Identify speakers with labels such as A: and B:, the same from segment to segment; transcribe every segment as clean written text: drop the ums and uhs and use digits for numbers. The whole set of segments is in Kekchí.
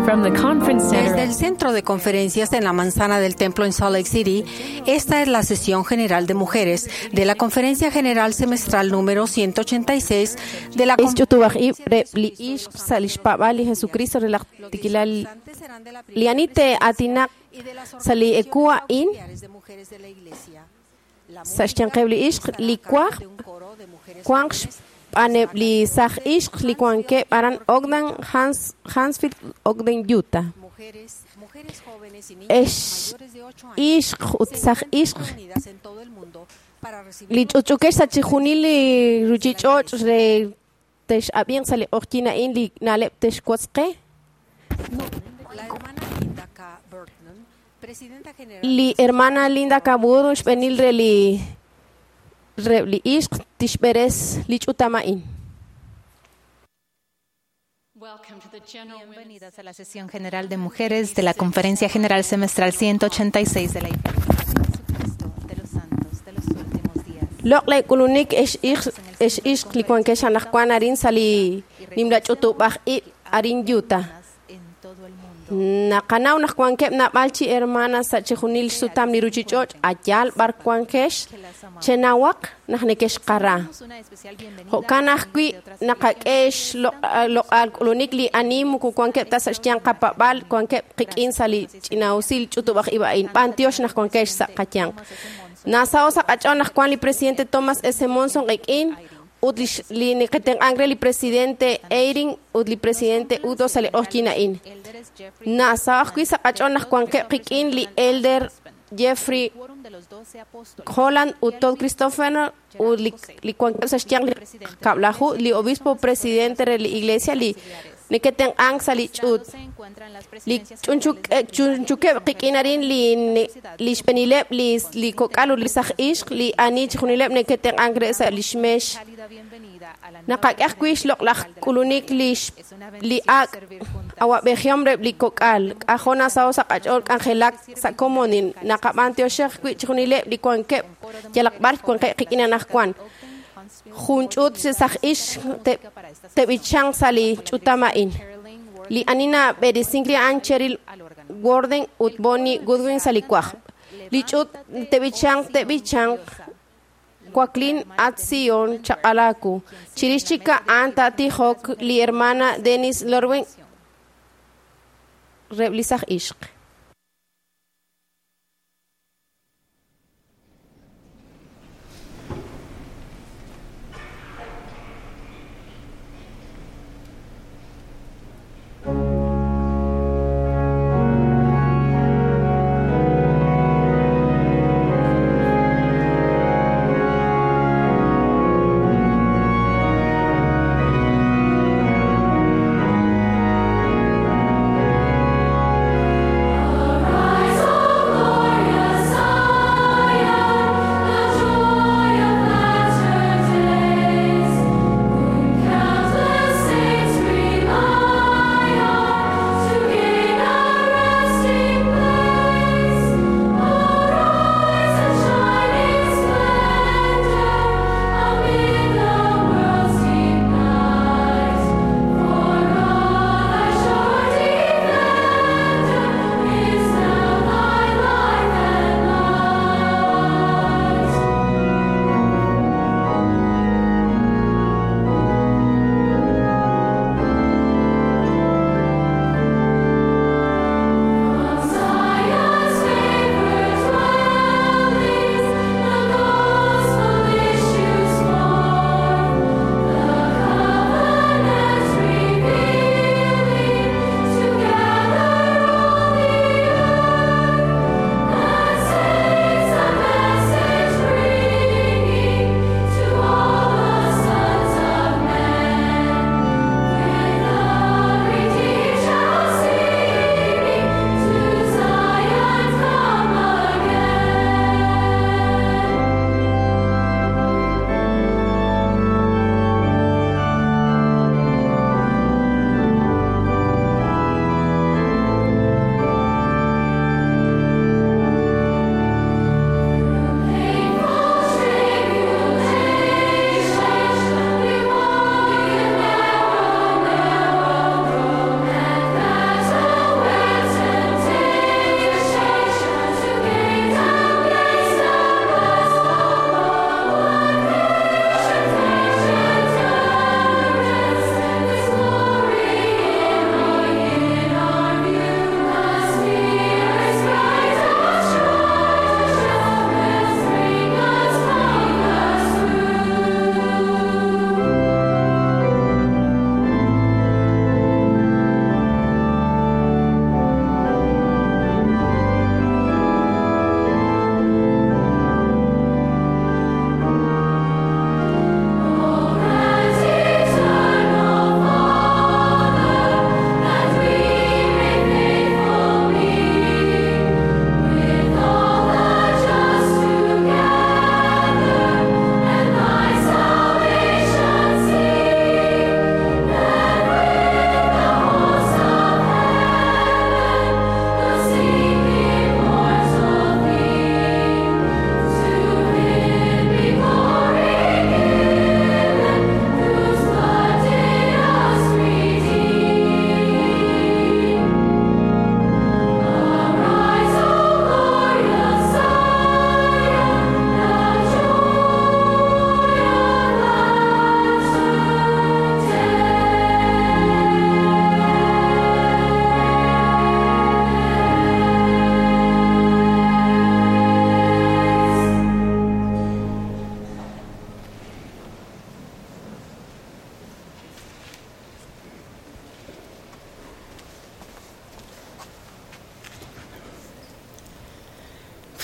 A: From the conference center
B: Desde el Centro de Conferencias en la Manzana del Templo en Salt Lake City, esta es la sesión general de mujeres de la Conferencia General Semestral número 186 de la
C: Is ch'utub'aj ib' re li ixq sa' li xpab'al li Jesucristo re laj tikilal li ani te'aatinaq sa' li eku a'in sa' xyanqeb' li ixq li kwaj wanq xb'aaneb' li saj ixq li wankeb' aran Ogden, Hansfield, Ogden, Utah. Ex ixq ut saj ixq li ch'utch'ukex sa' chixjunil li ruchich'och' re tex'ab'inq sa' li q'oqyin a'in li na'leb' texwotz qe. Li hermana Linda K. Burton xb'eenil re li reb' li ixq tixb'eres li ch'utam a'in.
D: Bienvenidas a la sesión general de mujeres de la Conferencia General Semestral 186 de la Iglesia de Jesucristo de los Santos de los Últimos Días.
C: Loq' le k'ulunik ex ixq li wankex anaqwan arin sa' li nimla ch'utub'aj ib' arin Utah.
D: En todo el mundo.
C: Naqanaw naq wankeb' nab'al chi hermanas sa' chixjunil xsutam li ruchich'och' ayal b'ar wankex chenawaq naq nekexqara.
D: Damos una especial bienvenida
C: Jo'kan
D: a
C: ajwi'
D: de otras
C: naqak'e xloq'al k'ulunik li ani muku wankeb' ta sa' xyanq qapab'al wankeb' qik'in sa' li ch'ina'usil ch'utub'aj ib' a'in b'antiox naq wankex sa' qayanq. Nasao sa' qach'ool naq wan li presidente Thomas S. Monson qik'in ut li neketenq'ank re li presidente Eyring ut li presidente Udo sa' li q'oqyin a'in.
D: Elders Jeffrey
C: Nasao ajwi' sa' qach'ool naq wankeb' qik'in li Elder Jeffrey
D: Quórum de los Doce Apóstoles.
C: Holland ut Todd Christopher ut li wankeb' sa' xyanq li kab'laju li obispo presidente re li iglesia li neketenq'ank sa' li ch'uut.
D: Se encuentran las
C: Li
D: presidencias generales de la
C: chunchukeb' qik'in arin li xb'eenileb' li kok'al ut li saj ixq li ani chixjunileb' neketenq'ank re sa' li xmex.
D: cálida bienvenida a la nueva
C: Naqak'e ajwi' xloq'laj k'ulunik
D: Es una
C: li
D: bendición
C: ak'
D: servir juntas.
C: awab'ejihom reb' li kok'al. K'ajo nasaho sa' qach'ool k'anjelak sa' komonil. Naqab'antioxej ajwi' chixjunileb' li wankeb' yalaq b'ar wankeb' qik'in anaqwan. Jun ch'uut chi saj ixq teb'ichanq sa' li ch'utam a'in. Li ani nab'eresink li a'an Cheryl Warden ut Bonnie Goodwin sa' li kwaj. Li ch'uut teb'ichanq teb'ichanq Joaquín Atzion Chaqalaku. Chirix chik a'an taatijok li hermana Denise Lorwen reb' li saj ixq.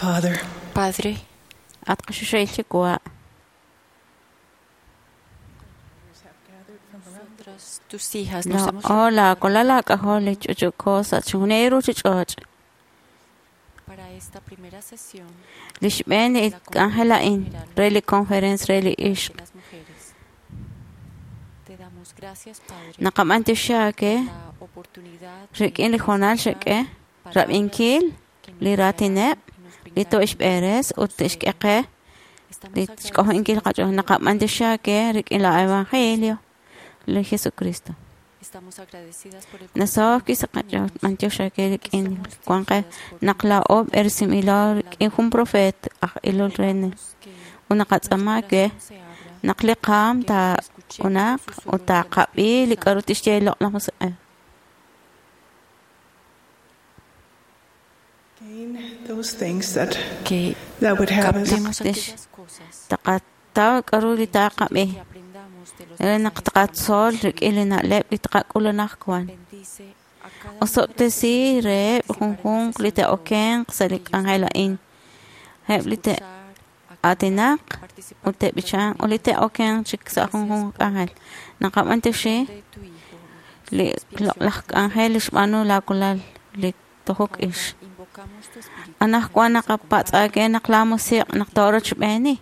A: Father,
E: Padre,
F: At qaxuxayl chikwa.
E: nosotras, tus hijas, nos
F: La
E: hemos
F: hola, kola k'ajol ch'uch'uko sa' chunjunil ruchich'och'.
E: para esta primera sesión
F: Li xb'een li k'anjel a'in re li conference re li
E: de
F: ixq.
E: las mujeres. Te damos gracias, Padre,
F: Naqab'antioxi
E: por la oportunidad de
F: rik'in li jonal xek'e
E: palabras
F: rab'inkil
E: que nos
F: li
E: guiarán
F: raatineb'
E: y nos
F: li
E: brindarán
F: to'ixb'eres ut tixk'e qe
E: Estamos
F: li xk'ojo'inkil qach'ool. Naqab'antioxi rik'in la evangelio li Jesucristo.
E: Estamos agradecidas por el
F: Nasaw sa qach'ool b'antioxi rik'in wan qe naq laa'o b'erisinb'ilo rik'in jun profet aj ilol re
E: que
F: ut naqatz'aama ke
E: se abra,
F: naq li qaam taa'unaq ut taaqab'i li k'a'ru tixye li Loq'laj Musiq'ej.
A: gain those things that,
E: que
A: that would have us
E: captemos
F: Tix-
E: aquellas cosas
F: Taqataw k'a'ru li taaqab'i
E: que aprendamos de los
F: re naq
E: mensajes
F: taqatzol rik'in li na'leb' li taqak'ul anaqwan.
E: Bendice a cada una de las
F: Osob'tesi
E: personas que
F: reheb'
E: participan en la
F: junjunq li
E: sesión de hoy.
F: te'okenq sa' li k'anjel a'in. Eb' li
E: Escuchar, a
F: te'aatinaq
E: participar
F: ut te'b'ichanq ut li te'okenq chik sa' junjunq k'anjel. Naqab'antioxi
E: de tu Hijo.
F: li loq'laj k'anjel li xb'aanu laakulal li tojok ix.
E: Invocamos tu espíritu.
F: Anaqwan naqapatz'aake naq laa musiq' naq toorochb'eeni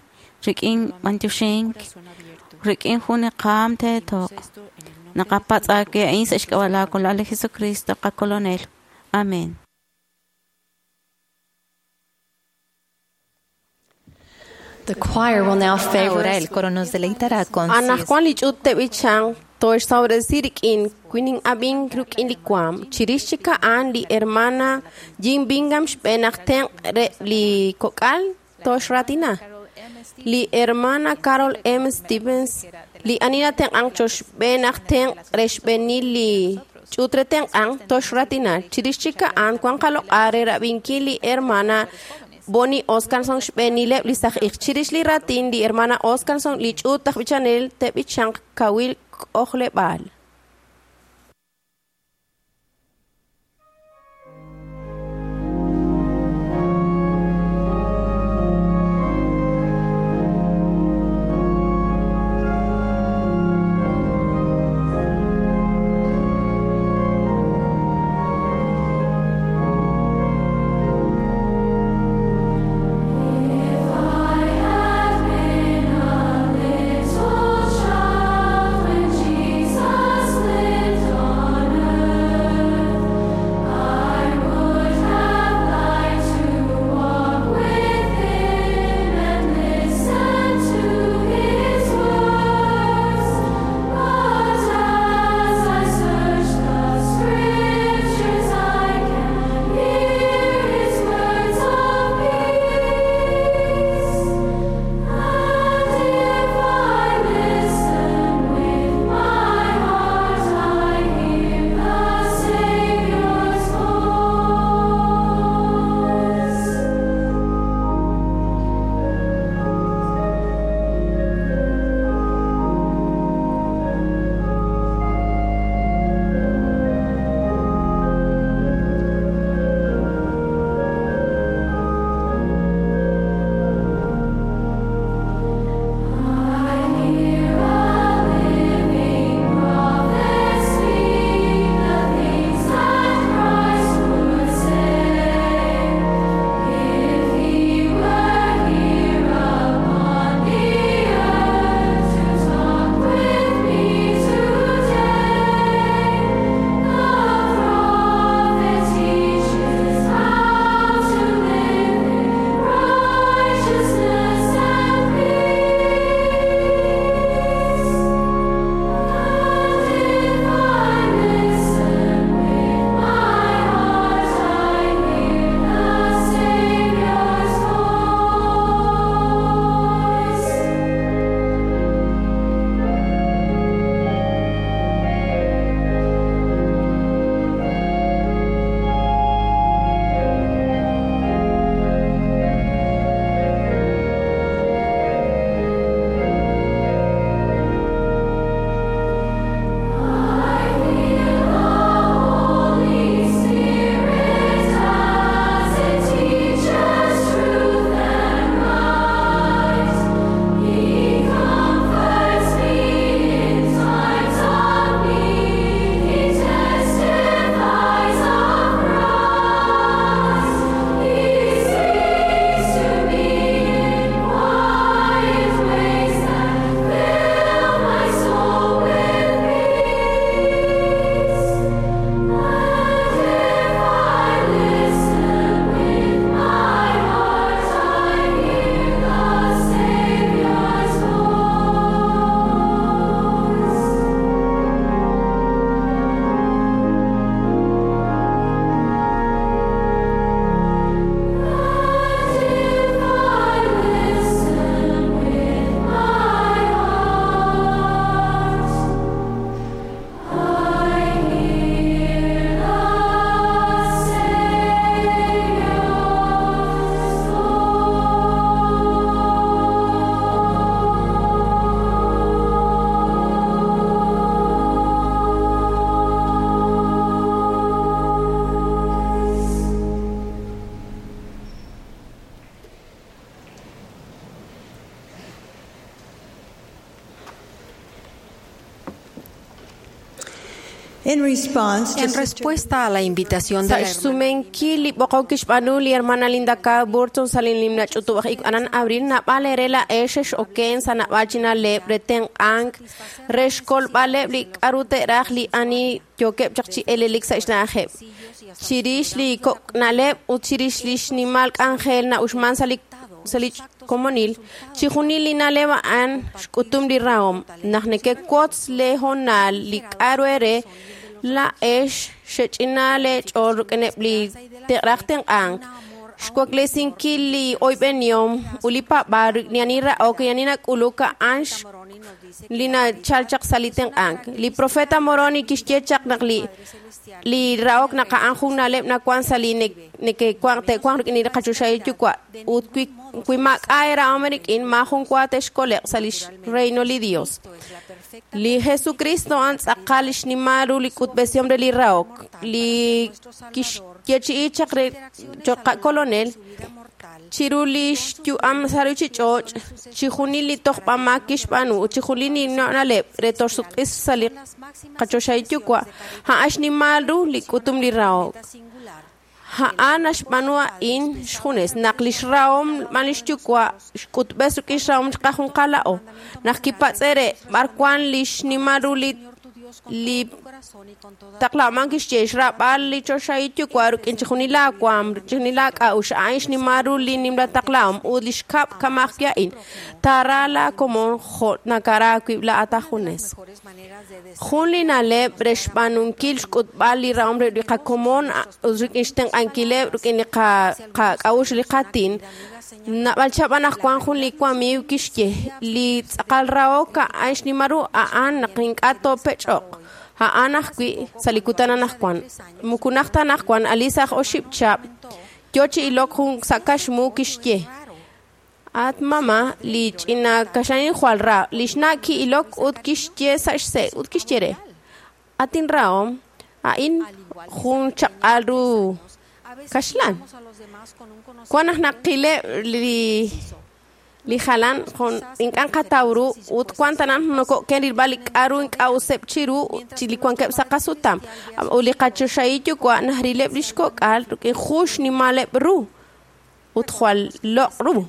F: rik'in b'antioxink
E: Corazón abierto.
F: rik'in jun li qaam teetoq.
E: Esto en el nombre de tu
F: Naqapatz'aake a'in sa' xk'ab'a' laakulal li Jesucristo qakolonel. Amén.
G: The choir will now favor
D: Ahora
G: us
D: el coro nos deleitará con Si es
C: Anaqwan li ch'uut te'b'ichanq toxsawresi rik'in kuinin ab'in ruk'in li kuam. Chirix chik a'an li hermana Jean Bingham xb'een aj tenq' re li kok'al toxratina. Li hermana Carol M. Stevens li ani natenq'anq choxb'een aj tenq' re xb'eenil li ch'uut re tenq'anq toxratina. Chirix chik a'an wan qaloq'a re rab'inkil li hermana Bonnie Oscarson xb'eenileb' li saj ij. Chirix li ratin li hermana Oscarson li ch'uut aj b'ichanel te'b'ichanq kawil k'ojleb'aal.
H: Little child, when Jesus In response to
B: En respuesta a la invitación de
C: Sa'
B: la hermana
C: xsumenkil li b'oqok kixb'aanu li hermana Linda K. Burton sa' li nimla ch'utub'aj ik anan abril nab'al ere la'ex xex-oken sa' nab'al chinaleb' re tenq'ank re xkolb'aleb' li k'aru te'raj li ani yookeb' chaq chi elelik sa' xna'ajeb'. Chirix li kok'na'leb' ut chirix li xnimal k'anjel na'uxman sa' li komonil, chijunil li na'leb' a'an xk'utum li rahom. Naq nekewotz le hoonal li k'aru ere la'ex xech'ina leech'ool rik'ineb' li te'raj tenq'ank. Xwaklesinkil li oyb'enihom ut li paab'aal rik'in ani ra'ok y ani nak'uluk a'an li nachal chaq sa' li tenq'ank. Li profeta Moroni kixye chaq naq li ra'ok naq a'an jun na'leb' nawan sa' li neke'wanq te'wanq rik'in li qachoxahil yuwa' ut wi maak'a' erahom rik'in maajun wa te'xkoleq sa' li xreino li Dios. Li Jesucristo a'an tz'aqal li xnimal ru li k'utb'esihom re li ra'ok li kixyeechi'i chaq re cho'q qakolonel chiru li xyu'am sa' ruuchich'och' chijunil li tojb'amaak kixb'aanu ut chijunil li na'leb' re toxsutq'is sa' li qachoxahil yuwa' a'an xnimal ru li k'utum li rahok. A'an naxb'aanu a'in xjunes naq li xrahom b'an li xyuwa' xk'utb'es rik'in xrahom qajunqala'o. Naq kipatz'e re b'ar wan li xnimal ru li taqlaman kixye xrab'al li choxahil yuwa' rik'in chijunil laawaam chijunil laak'a'uxl a'in xnimal ru li nimla taqlahom ut li xkab' kamaj wi' a'in taara laakomon jo' nakara aawib' laa'at ajunes. Jun li na'leb' re xb'aanunkil xk'utb'al li rahom re li qakomon ut rik'in xtenq'ankileb' rik'in li qak'a'uxl li qatin nab'al chab' anaqwan jun li wamiiw kixye li tz'aqal rahok a'an xnimal ru a'an naq ink'a' toopech'oq. A'an ajwi' sa' li kutan anaqwan. Mukunaj ta anaqwan Alisa aj oxib' chab' yo chi ilok jun sa' kaxmu kixye. At mama li ch'ina kaxlanin jwal ra li xna' ki'ilok ut kixye sa' xse' ut kixye re. Atin rahom a'in jun chaq'al ru kaxlan. Wan naq naqileb' li jalan ink'a' qataw ru ut wan tanan noko'ken rilb'al li k'aru ink'a' useb' chiru chi li wankeb' sa' qasutam. Ut li qachoxahil yuwa' najrileb' li xkok'al rik'in jun xnimaleb' ru ut jwal loq' ru.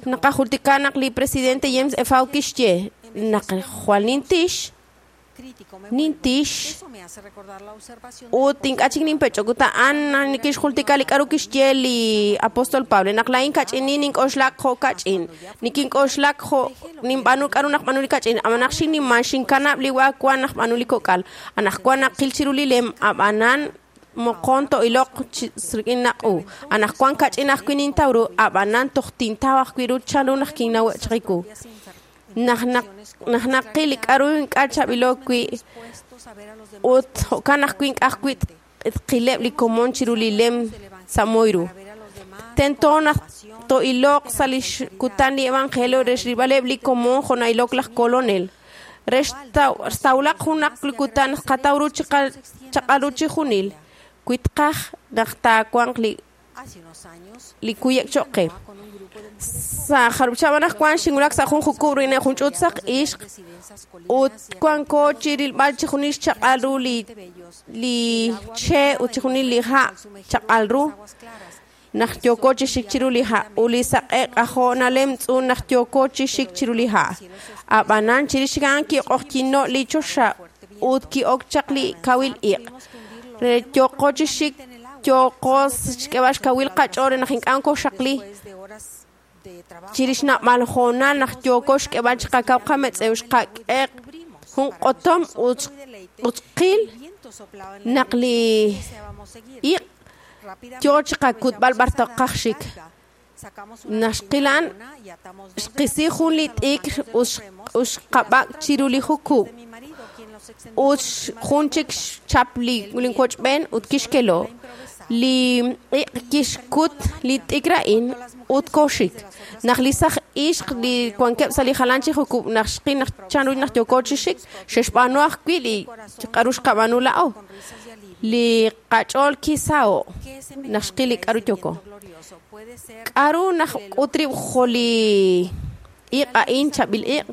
C: Naqajultika naq li presidente James F. Kixye naq jwal nintix ut ink'a' chik ninpech'ok ut a'an nikixjultika li k'aru kixye li apóstol Pablo naq laa'in kach'inin nink'oxlak jo' kach'in nikink'oxlak jo' ninb'aanu k'aru naq b'aanu li kach'in ab'an naq xinniman xinkanab' li wa wan naq b'aanu li kok'al anaqwan naqil chiru li lem ab'anan moqon to'iloq rik'in naq'u anaqwan kach'in ajwi' nintaw ru ab'anan toj tintaw ajwi' ru chanru naq kinnawe' chiqiku. Naq naqil li k'aru ink'a' chaab'ilo wi' ut jo'kan ajwi' ink'a' ajwi' tqileb' li komon chiru li lem sa' moy ru. Tento naq to'iloq sa' li xkutan li evangelio re xrilb'aleb' li komon jo' na'ilok laj kolonel. Re xtawlaq junaq li kutan qataw ru chaq'al ru chijunil wi tqaj naq taawanq li kuyek cho'q qe. Sa' jarub' chab' anaqwan xinwulak sa' jun jukub' rik'in jun ch'uut saq ixq ut wanko chi rilb'al chijunil xchaq'al ru li che' ut chijunil li ha' chaq'al ru naq yooko chi xik chiru li ha' ut li saq'e k'ajo' nalemtz'un naq yooko chi xik chiru li ha'. Ab'anan chirix a'an kiq'oqyino' li choxa ut ki'ok chaq li kawil iq'. Re yooko chi xik yooko xk'eb'al xkawil qach'ool re naq ink'a' koxaqli. Chirix nab'al hoonal naq yooko xk'eb'al chiqakaw qametz'ew xqak'e jun q'otom ut qil naq li iq' yo chiqakutb'al b'ar toqaj xik. Naq xqil a'an xqisi jun li t'ikr ut xqab'ak' chiru li jukub' ut jun chik xchap li linwochb'een ut kixkelo. Li iq' kixkut li t'ikr a'in ut koxik. Naq li saj ixq li wankeb' sa' li jalan chi jukub' naq xqil naq chanru naq yooko chi xik xe'xb'aanu ajwi' li k'aru xqab'aanu la'o. Li qach'ool kisaho' naq xqil li k'aru yooko. K'aru naq k'ut rib' jo' li iq' a'in chaab'il iq'.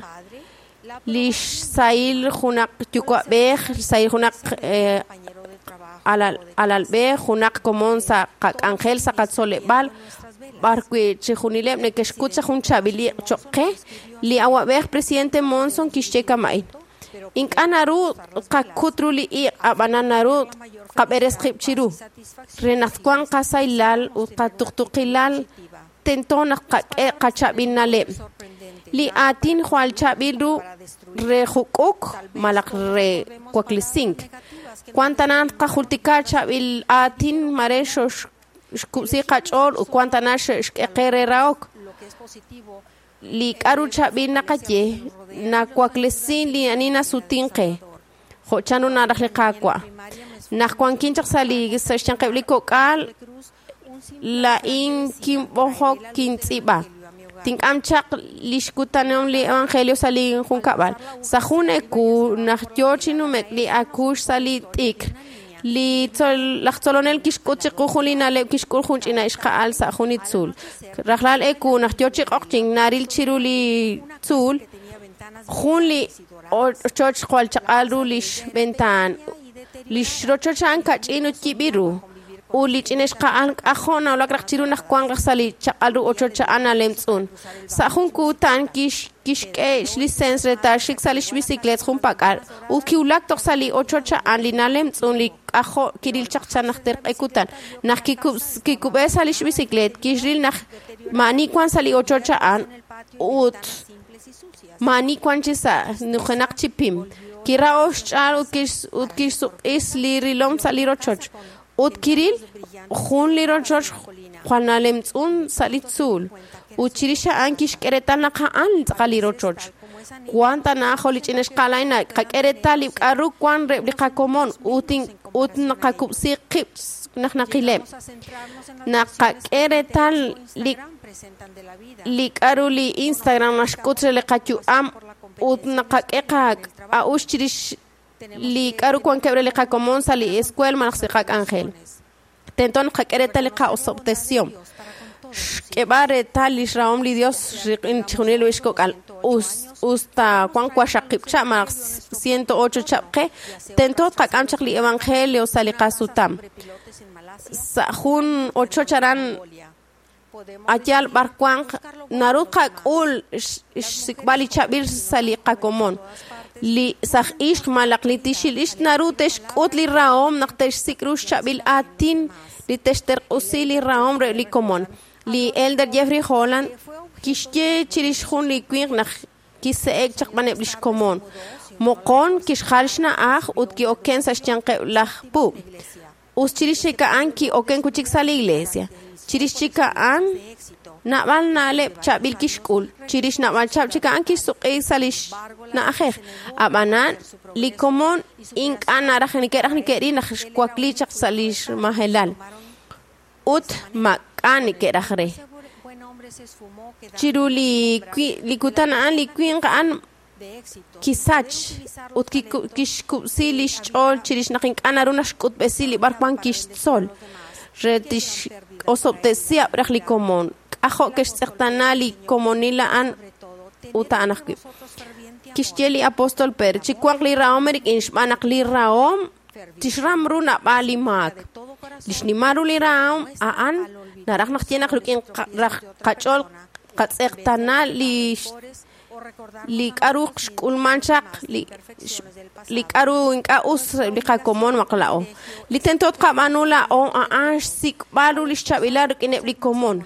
C: Li xsahil junaq yuwa'b'ej, xsahil junaq alalb'ej, junaq komon sa' qak'anjel sa' qatzoleb'aal, b'ar wi' chixjunileb' neke'xkut sa' jun chaab'il iq' choq' qe. Li awa'b'ej presidente Monson kixye kama'in: Ink'a' naru qakut ru li iq', ab'anan naru qab'eres qib' chiru. Re naq twanq qasahilal ut qatuqtuqilal, tento naq qak'e qachaab'il na'leb'. Li aatin jwal chaab'il ru re juk'uk malaj re waklisink. Wan tana qajultika chaab'il aatin mare xoxkub'si qach'ool ut wan tana xe'xk'e qe re rahok. Li k'a'ru chaab'il naqaye nawaklesin li ani nasutin qe, jo' chanru naraj li Qaawa'. Naq wankin chaq sa' li sa' xyanqeb' li kok'al, laa'in kinb'ojok kintz'iib'a. Tink'am chaq lix kutanihom li evangelio sa' li junkab'al. Sa' jun eku naq yoo chi nume'k li akuux sa' li t'ikr, li laj tzolonel kixk'ut chiqu jun li na'leb' kixk'ul jun ch'ina ixqa'al sa' jun li tzuul. Rajlal eku naq yoo chi q'oqyink naril chiru li tzuul jun li ochoch jwal chaq'al ru lix ventaan. Lix rochoch a'an kach'in ut yib'il ru. Ut li ch'ina ixqa'al k'ajo' nawulak raj chiru naq wanq raj sa' li chaq'al ru ochoch a'an nalemtz'un. Sa' jun kutan kixk'e xlisens re taaxik sa' lix bicicleet junpak'al ut kiwulak toj sa' li ochoch a'an li nalemtz'un li k'ajo' kiril chaq chan najter q'e kutan. Naq kikub'e sa' lix bicicleet, kixril naq maa'ani wan sa' li ochoch a'an ut maa'ani wan chi sa' nujenaq chi pim. Kira'o xch'aal ut kixsuq'is li rilom sa' li rochoch. Ut kiril jun li rochoch jwal nalemtz'un sa' li tzuul. Ut chirix a'an kixk'e reetal naq a'an tz'aqal li rochoch. Wan tana jo' li ch'ina ixqa'al a'in qak'e reetal li k'a'ru wan reheb' li qakomon ut naqakub'si qib' naq naqileb'. Naqak'e reetal li k'a'ru li Instagram naxk'ut re li qayu'am ut naqak'e qa'ux chirix li k'a'ru wankeb' re li qakomon sa' li escuela malaj sa' qak'anjel. Tento naqak'e reetal li qa'osob'tesihom. Xk'eb'al reetal lix rahom li Dios rik'in chixjunil li xkok'al. Usta wan waxaqib' chab' malaj 108 chab' qe, tento tqak'am chaq li evangelio sa' li qasutam. Sa' jun ochoch aran ayal b'ar wanq naru qak'ul xsik'b'al li chaab'il sa' li qakomon. Li saj ixq malaj li tixil ixq naru te'xk'ut li rahom naq te'xsik' ru xchaab'il aatin li te'xterq'usi li rahom re li komon. Li Elder Jeffrey Holland kixye chirix jun li winq naq kise'ek chaq b'aneb' lix komon. Moqon kixjal xna'aj ut ki'oken sa' xyanqeb' laj puub'. Us chirix chik a'an ki'oken kuchik sa' li iglesia. Chirix chik a'an nab'al na'leb' chaab'il kixk'ul. Chirix nab'al chab' chik a'an kixsuq'i sa' lix na'ajej. Ab'anan li komon ink'a' naraj neke'raj neke'ril naq xwakli chaq sa' lix majelal. Ut mak'a neke'raj re. Chiru li kutan a'an li winq a'an kisach ut kixkub'si lix ch'ool chirix naq ink'a' naru naxk'utb'esi li b'ar wan kixtzol. Re tix'osob'tesi raj li komon. K'ajo' ke'xtz'eqtana li komonil a'an ut a'an ajwi'. Kixye li apóstol Pedro, chiwanq li rahom rik'in xb'aan naq li rahom tixram ru nab'aal li maak. Li xnimal ru li rahom a'an naraj naq ye naq rik'in qach'ool qatz'eqtana li k'a'ru xk'ulman chaq li k'a'ru ink'a' us li qakomon maq la'o. Li tento tqab'aanu la'o a'an xsik'b'al ru li xchaab'ilal rik'ineb' li komon.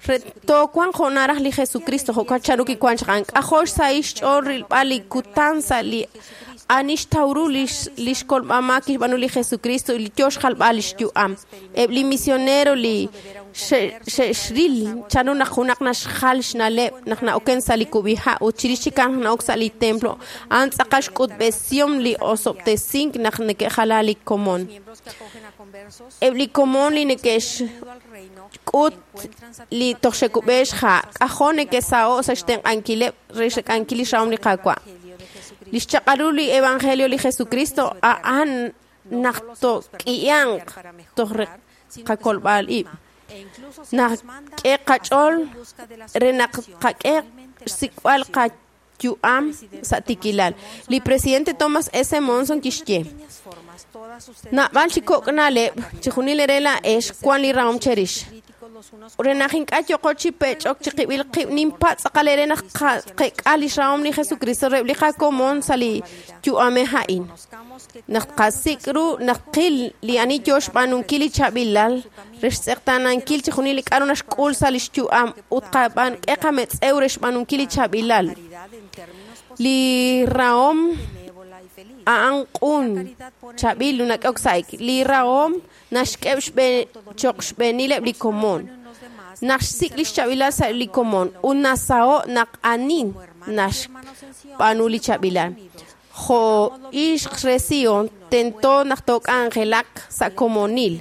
C: Re toowanq jo' naraj li Jesucristo jo'kan chanru kiwan chaq a'an. K'ajo' xsahil xch'ool rilb'al li kutan sa' li ani xtaw ru lix kolb'ama kixb'aanu li Jesucristo li yoo xjalb'al lix yu'am. Eb' li misionero li xe'xril chanru naq junaq naxjal xna'leb' naq na'oken sa' li kub'iha' ut chirix chik a'an na'ok sa' li templo a'an tz'aqal xk'utb'esihom li osob'tesink naq neke'jala li komon. Eb' li komon li neke'xk'ut li toj xe'kub'e xha' k'ajo' neke'saho' sa' xtenq'ankileb' re xk'ankil li xrahom li Qaawa'. Li xchaq'al ru li evangelio li Jesucristo a'an naq took'ihanq toj re qakolb'al ib'. Naq k'e qach'ool re naq qak'e xsik'b'al yu'am sa' tikilal. Li presidente Thomas S. Monson kixye: Nab'al chi kok' na'leb' chijunil re laa'ex wan li rahom cherix. Re naq ink'a' yoqo chi pech'ok chiqib'il qib' ninpatz' tz'aqal ere naq qek'a lix rahom li Jesucristo reheb' li qakomon sa' li yu'amej a'in. Naq tqasik' ru naq qil li ani yoo xb'aanunkil li chaab'ilal re xtz'eqtaanankil chijunil li k'a'ru naxk'ul sa' lix yu'am ut qab'an k'e qametz'ew re xb'aanunkil li chaab'ilal. Li rahom a'an q'un chaab'il nak'ehok sa'ik. Li rahom naxk'eb' cho'q xb'eenileb' li komon. Naxsik' lix chaab'ilal sa' li komon ut nasaho' naq ani naxb'aanu li chaab'ilal. Jo' ixq re Sion tento naq took'anjelaq sa' komonil.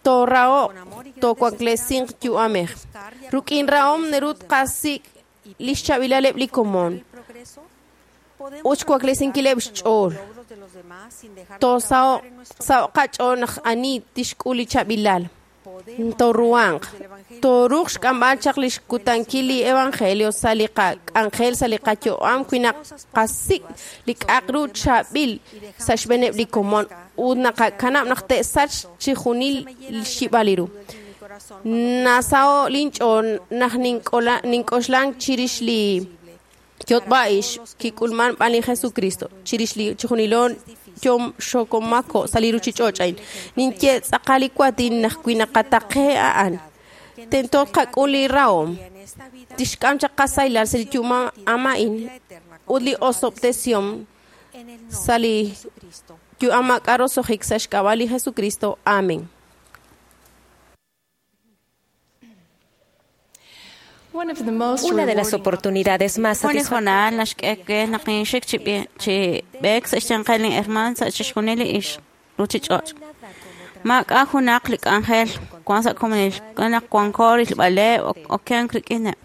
C: Tooraho'q toowaklesiq yu'amej. Ruk'in rahom naru tqasik' lix chaab'ilaleb' li komon ut xwaklesinkileb' xch'ool. Toosaho'q saho'q qach'ool naq ani tixk'ul li chaab'ilal. Tooruhanq. Tooruuq xk'amb'al chaq lix kutankil li evangelio sa' li qak'anjel sa' li qayu'am wi naqasik' li k'a'aq ru chaab'il sa' xb'eeneb' li komon ut naqakanab' naq te'sach chijunil xyib'al li ru. Nasaho' linch'ool naq nink'oxlan chirix li yotb'a'ix kik'ulman b'an li Jesucristo chirix li chijunilo yom xokomako sa' li ruchich'och' a'in. Ninye tz'aqal li waatin naq wi naqataqe a'an tento tqak'ul li rahom tixk'am chaq qasaylal sa' li yu'am a'in ut li osob'tesihom sa' li yu'am maak'a' roso'jik sa' xk'ab'a' li Jesucristo. Amén.
H: Una de las oportunidades más
F: Jun li hoonal naxk'e we naq ninxik chi b'eek sa' xyanqel linhermaan sa' chixjunil li ixq ruchich'och'. Maak'a' junaq li k'anjel wan sa' komonil naq wanko rilb'aleb' okenk rik'ineb'.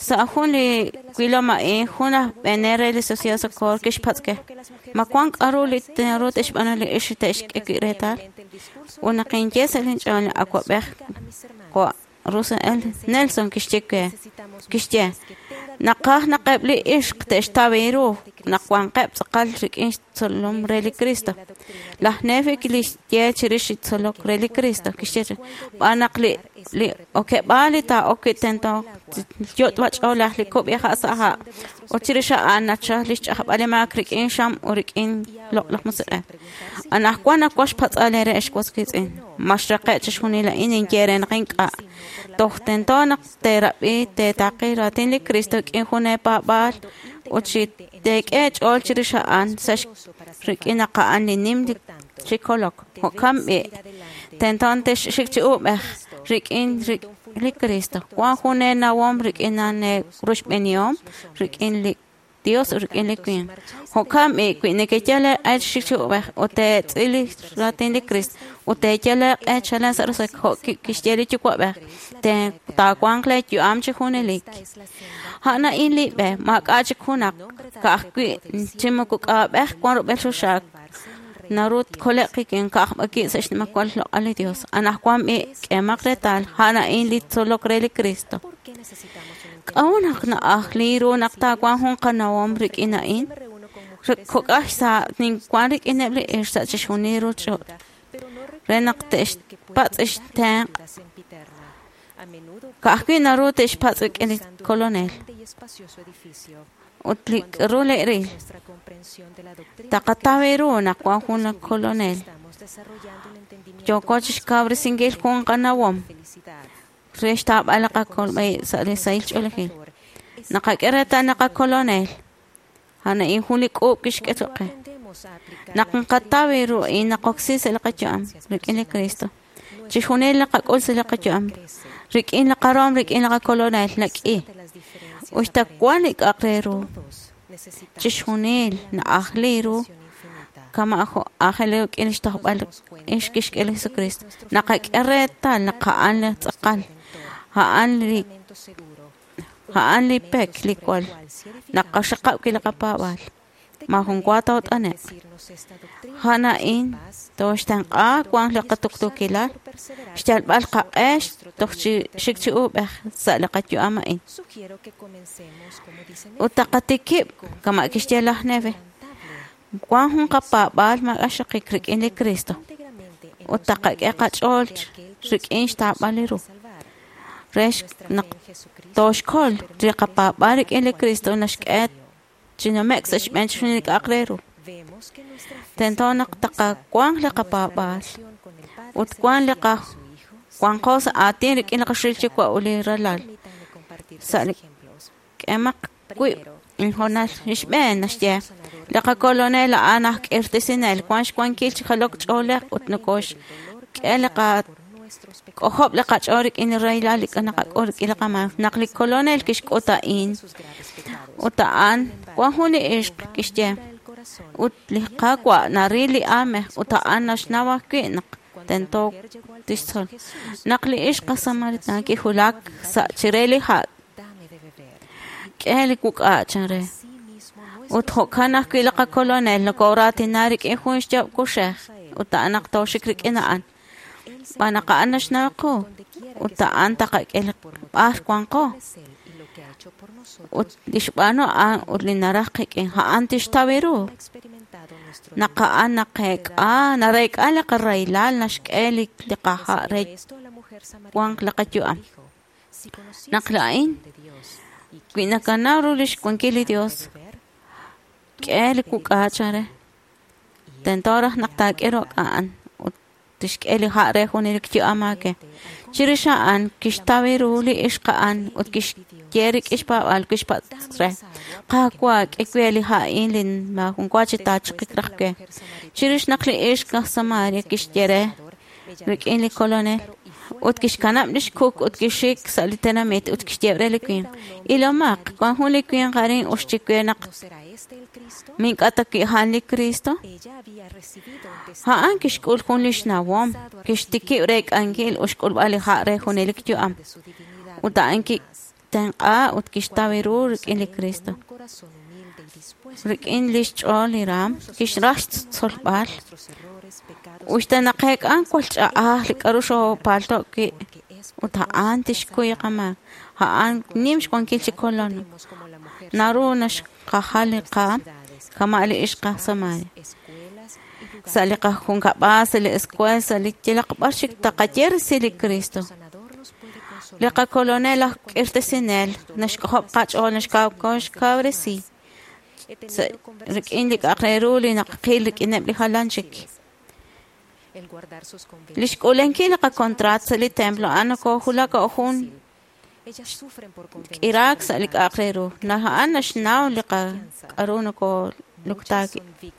F: Sa' jun li wilom a'in jun aj b'eenel re li Sociedad Socorro kixpatz' ke ma wan k'a'ru li naru te'xb'aanu li ixq te'xk'e wi' reetal. Ut naq inye sa' linch'ool li awa'b'ej jo' Russell L. Nelson kixye we kixye naqaj naq eb' li ixq te'xtaw ru naq wanqeb' tz'aqal rik'in xtzolom re li Cristo. Laj Nefi kixye chirix li tzolok re li Cristo kixye b'an naq li okeb'aal li taa'ok wi' tento yot'b'ach'oolej li kub'iha' sa' ha' ut chirix a'an nachal li xch'ajb'al li maak rik'in xam ut rik'in loq'laj musiq'ej. Anaqwan nawaj xpatz'al eere ex was wiitz'in ma xraqe' chixjunil a'in ninye re naq ink'a' toj tento naq teerab'i teetaqi raatin li Cristo rik'in jun eepaab'aal ut chi teek'e ch'ool chirix a'an sa' rik'in naq a'an li nim chi kolok. Jo'kan b'i' tento texxik chi uub'ej rik'in li Cristo. Wan jun eenawom rik'in a'an eeruxb'enihom rik'in li Dios ut rik'in li winq. Jo'kan b'i' wi nekeyal eeq'e xik chi uub'ej ut teetz'il li raatin li Cristo ut teeyal eeq'e chalen sa' roso'jik jo' kixye li Yuwa'b'ej taawanq lee yu'am chi junelik. A'an a'in li b'e maak'a' chik junaq ka'ajwi' chi moko k'a'ab'ej wan rub'el xoxaak naru tkole'q qik'in ka'ajb'aki' sa' xnimajwal xloq'al li Dios. Anaqwan b'i' k'emaq reetal a'an a'in li tzolok re li Cristo. K'a'ut naq na'aj li ru naq taawanq jun qanawom rik'in a'in? Kok'aj sa' ninwan rik'ineb' li ixq sa' chixjunil ruchich'och' re naq te'xpatz' xtenq' ka'ajwi' naru te'xpatz' rik'in li Kolonel ut li k'aru le'ril. Taqataw ru naq wan jun li Kolonel. Yooko chixkawresinkil jun qanawom re xtaab'al li qakolb'al sa' li sahil ch'oolejil. Naqak'e reetal naq qakolonel a'an a'in jun li k'uub' kixk'e choq' qe. Naq nqataw ru a'in naqoksi sa' li qayu'am rik'in li Cristo. Chixjunil li qak'ul sa' li qayu'am rik'in li qarom rik'in li qakolonel nak'i. Uxta wan li k'a'aq re ru chixjunil na'aj li ru kama' jo' aajel ru rik'in xtojb'al ix kixk'e li Jesucristo. Naqak'e reetal naq a'an li tz'aqal a'an li pek li kwal naqaxaqab' wi' li qapaab'aal. Maajun wa toot'ane'q. A'an a'in tooxtenq'a wanq li qatuqtuukilal, xyalb'al qaq'e toj chi xik chi uub'ej sa' li qayu'am a'in. Ut taqatikib' kama' kixye laj Nefi, wank jun qapaab'aal maak'a' xaqik rik'in li Cristo ut taqak'e qach'ool rik'in xtaab'al li ru. Re naq tooxkol li qapaab'aal rik'in li Cristo naxk'e chi nume'k sa' xb'een chixjunil li k'a'aq re ru. Tento naq taqawanq li qapaab'aal ut wank li wanqo sa' aatin rik'in li qaxil Yuwa' ut li Ralal. Sa' li k'emaq wib' inhoonal li xb'een naxye li qakolonel a'an aj k'irtesinel wank xwankil chi jalok ch'oolej ut nokoxk'e li k'ojob' li qach'ool rik'in li rahilal li naqak'ul rik'in li qamaak. Naq li kolonel kixk'ut a'in ut a'an wank jun li ixq kixye ut li Qaawa' naril li aamej ut a'an naxnaw ajwi' naq tento tixtzol. Naq li ixq aj Samaritana kiwulak sa' chire li ha' k'e li wuk'a' chan re. Ut jo'kan ajwi' li qakolonel nokoraatina rik'in jun xyaab' kuxej ut a'an naq tooxik rik'in a'an. Xb'aan naq a'an naxnaw qu ut a'an taqak'e li b'ar wanqo. Ut li xb'aanu a'an ut li naraj qik'in a'an tixtaw ru. Naq a'an naqeek'a nareek'a li qarahilal naxk'e li qaha' re wanq li qayu'am. Naq laa'in wi nakanaw ru lix wankil li Dios, k'e li wuk'a chan re. Tento raj naq taak'e rok' a'an ut tixk'e li ha' re junelik yu'am aake. Chirix a'an kixtaw ru li ixq a'an ut kixye rik'in xpaab'aal kixpatz' re. Qaawa' k'e we li ha' a'in li maajun wa chi taachiqik raj we. Chirix naq li ixq aj Samaria kixye re rik'in li kolonel ut kixkanab' lix kuk ut kixik sa' li tenamit ut kixye re li winq. Ilomaq, wank jun li winq arin uxchi we naq mink'a ta wi' a'an li Cristo. A'an kixk'ul jun li xnawom, kixtikib' reek'ankil ut xk'ulb'al li ha' re junelik yu'am. Ut a'an kitenq'a ut kixtaw ru rik'in li Cristo. Rik'in lix ch'ool li raam, kixraj xtzolb'al. Uxta naqeek'an kwal ch'a'aj li k'a'ru xoopalto' wi' ut a'an tixkuy qamaak. A'an nim xwankil chi kolon. Naru naxqajal li qaam kama' li ixq aj Samaria. Sa' li qajunkab'al, sa' li escuela, sa' li yalaq b'ar chik taqaye resil li Cristo. Li qakolonel aj k'irtesinel naxk'ojob' qach'ool naxkawresi rik'in li k'a'aq re ru li naqil rik'ineb' li jalan chik. Li xk'uulankil li qakontraat sa' li templo a'an nokojulak jun k'iraak sa' li k'a'aq re ru. Naq a'an naxnaw li k'a'ru nokoluktaak wi'.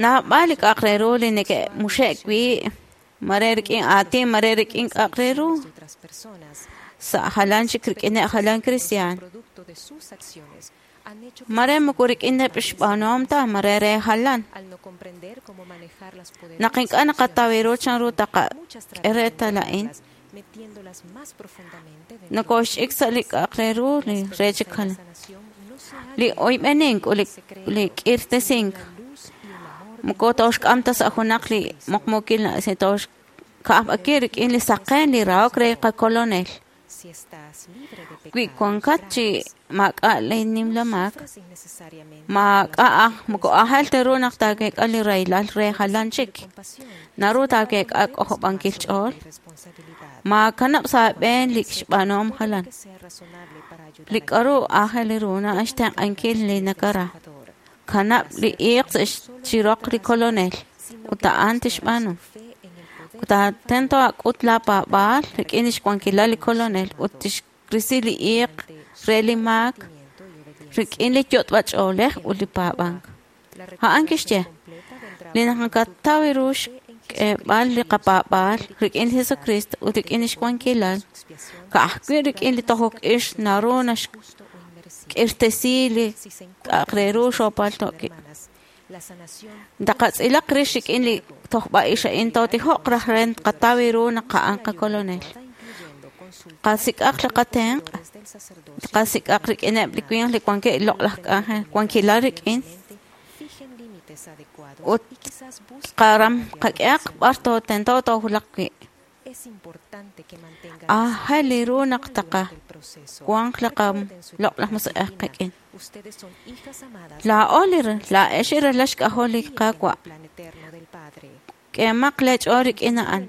F: Naab'al li k'a'aq re ru li neke'muxe'k wi' mare rik'in aatin, mare rik'in k'a'aq re ru. Sa' jalan chik rik'ineb' jalan cristian. Mare moko rik'ineb' xb'aanuhom ta, mare re jalan. Naq ink'a' naqataw ru chan ru taqak'e reetal a'in, nokoxch'ik sa' li k'a'aq re ru li re chik jalan. Li oyb'enink ut li k'irtesink moko tooxk'am ta sa' junaq li muqmuukil tooxka'ajb'aki rik'in li saqen li rahok re qakolonel. Wi wankat chi maak'a' li nimla maak, maak'a' aj moko aajel ta ru naq taaweek'a li rahilal re jalan chik. Naru taaweek'a k'ojob'ankil ch'ool. Maakanab' sa' aab'een li xb'aanuhom jalan. Li k'a'ru aajel ru na'an xtenq'ankil li nakara. Kanab' li iiq sa' chi roq li kolonel ut a'an tixb'aanu. Ut tento ak'ut laa paab'aal rik'in lix wankilal li kolonel ut tixrisi li iiq re li maak rik'in li yot'b'ach'oolej ut li paab'ank. A'an kixye, li naqataw ru xk'eeb'al li qapaab'aal rik'in li Jesucristo ut rik'in lix wankilal, ka'ajwi' rik'in li tojok ix naru naxk'irtesi li k'a'aq re ru xoopalto' wi'. Taqatz'ilaq rix rik'in li tojb'a ix a'in tootijoq raj re qataw ru naq a'an qakolonel. Qasik'aq li qatenq', qasik'aq rik'ineb' li winq li wankeb' loq'laj k'anjel, wankilal rik'in. Ut qaram qak'ehaq b'ar tento toowulaq wi'. Aajel ru naq taqa wanq li qaloq'laj musiq'ej qik'in. Laa'o li laa'ex ralal xk'ajol li Qaawa'. K'emaq leech'ool rik'in a'an.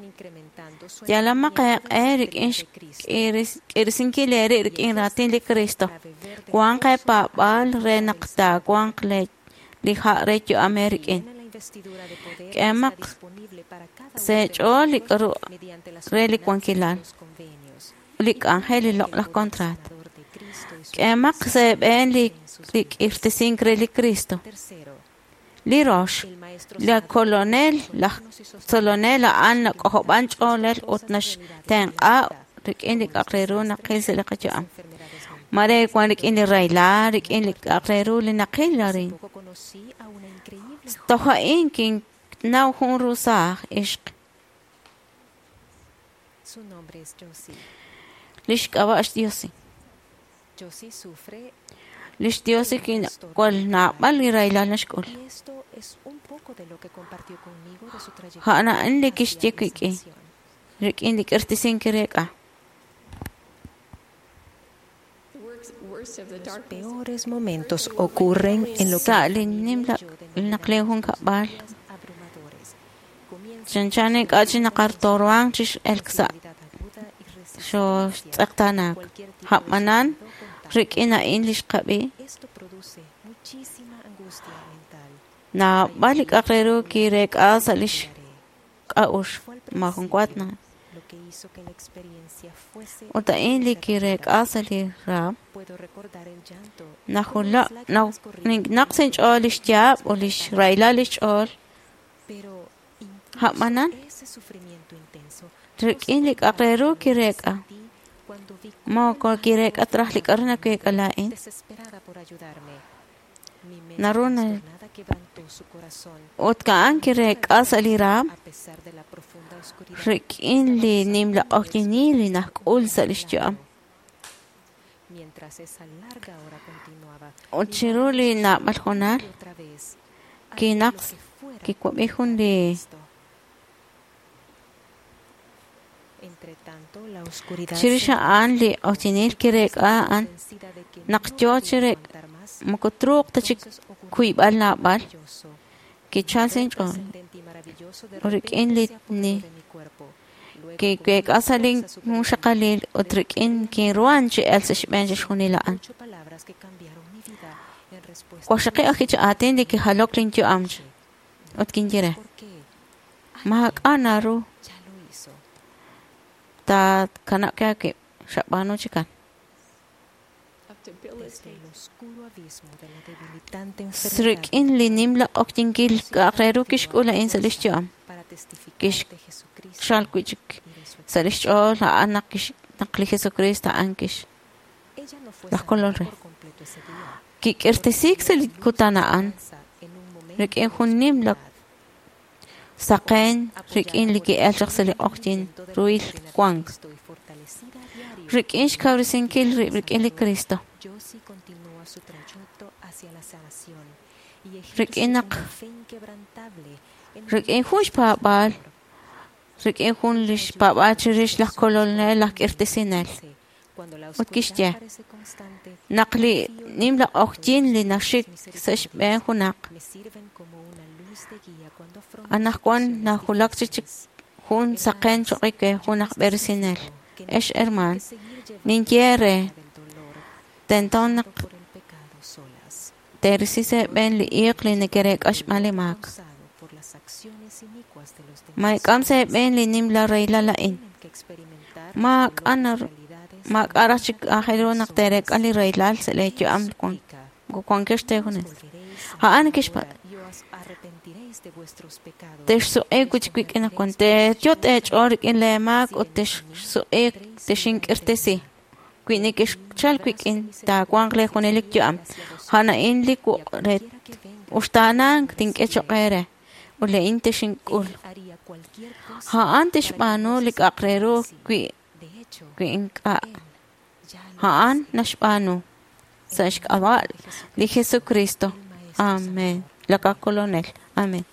F: Yalamaq eeq'e rik'in xk'irisinkil eeri rik'in raatin li Kristo. Wanq eepaab'aal re naq taawanq li ha' re yu'am eerik'in. K'emaq seech'ool li k'aru re li wankilal, li k'anjel li loq'laj contrat. K'emaq sa' eeb'een li k'irtisink re li Kristo. Li rox, li kolonel, laj tzolonel a'an nak'ojob'an ch'oolej ut naxtenq'a rik'in li k'a'aq re ru naqil sa' li qayu'am. Mare wan rik'in li rahilal, rik'in li k'a'aq re ru li naqil arin. Toj a'in kinnaw jun rusaaj ixq. Lix k'ab'a' xDiosi. Lix Diosi kinwal naab'al li rahilal naxk'ul. A'an a'in li kixye wik'in rik'in li k'irtisink kireek'a.
H: Los peores momentos ocurren en lo que
F: Sa' li nimla naq li junkab'al chanchan ink'a' chi naqartoruanq chi x'elk sa' xooxtz'eqtaanaak. A'b'anan rik'in a'in li xqab'i naab'al li k'a'aq re ru kireek'a sa' lix k'a'uxl maajun wa na. Ut a'in li kireek'a sa' li raam najula naq sa' inch'ool lix yaab' ut lix rahilal lix ch'ool. A'b'anan rik'in li k'a'aq re ru kireek'a moko kireek'a ta raj li k'a'ru naweek'a laa'in. Naru na ut a'an kireek'a sa' li raam rik'in li nimla q'oqyinil li najk'ul sa' lix yu'am. Ut chiru li naab'al hoonal kinaq kiwab'i jun li chirix a'an li q'oqyinil kireek'a a'an naq yoo chireek' moko truuq ta chi kuyb'al naab'al kichal sa' inch'ool rik'in li kiweek'a sa' lin junxaqalil ut rik'in kinruhan chi elk sa' xb'een chixjunil a'an. Waqxaqib' ajwi' chi aatin li kijalok lin yu'am ut kinye re maak'a' naru taakanab' aawib' xab'aanu chikan. Rik'in li nimla q'oqyinkil k'a'aq re ru kixk'ul a'in sa' lix yu'am. Kixchal wi'chik sa' lix ch'ool a'an naq li Jesucristo a'an kix laj kolol re. Kik'irtisiik sa' li kutan a'an rik'in jun nimla saqen rik'in li ki'el chaq sa' li q'oqyin ruhil wank. Rik'in xkawresinkil rib' rik'in li Cristo. Rik'in naq rik'in jun xpaab'aal rik'in jun li xpaab'aal chirix laj kolonel laj k'irtisinel. Ut kixye naq li nimla q'oqyin li naxik sa' xb'een junaq anaqwan najulak chi jun saqen choq' we jun aj b'eresinel. Ex hermaan, ninye re tento naq teerisi sa' eeb'een li iiq li neke'reek'a xb'aan li maak. Maak'am sa' eeb'een li nimla rahilal a'in. Maak'a' raj chik aajel ru naq teereek'a li rahilal sa' lee yu'am wankex teejunes. A'an kixpatz' texsuq'iik wi'chik wik'in anaqwan teeyot' eech'ool rik'in lee maak ut texsuq'iik texink'irtesi. Wi nekexchal wik'in taawanq lee junelik yu'am. A'an a'in li wuq' re uxtaanank tink'e choq' eere ut laa'in texink'ul. A'an tixb'aanu li k'a'aq re ru wi ink'a'. A'an naxb'aanu sa' xk'ab'a' li Jesucristo. Amén. lakakolonel. Amen.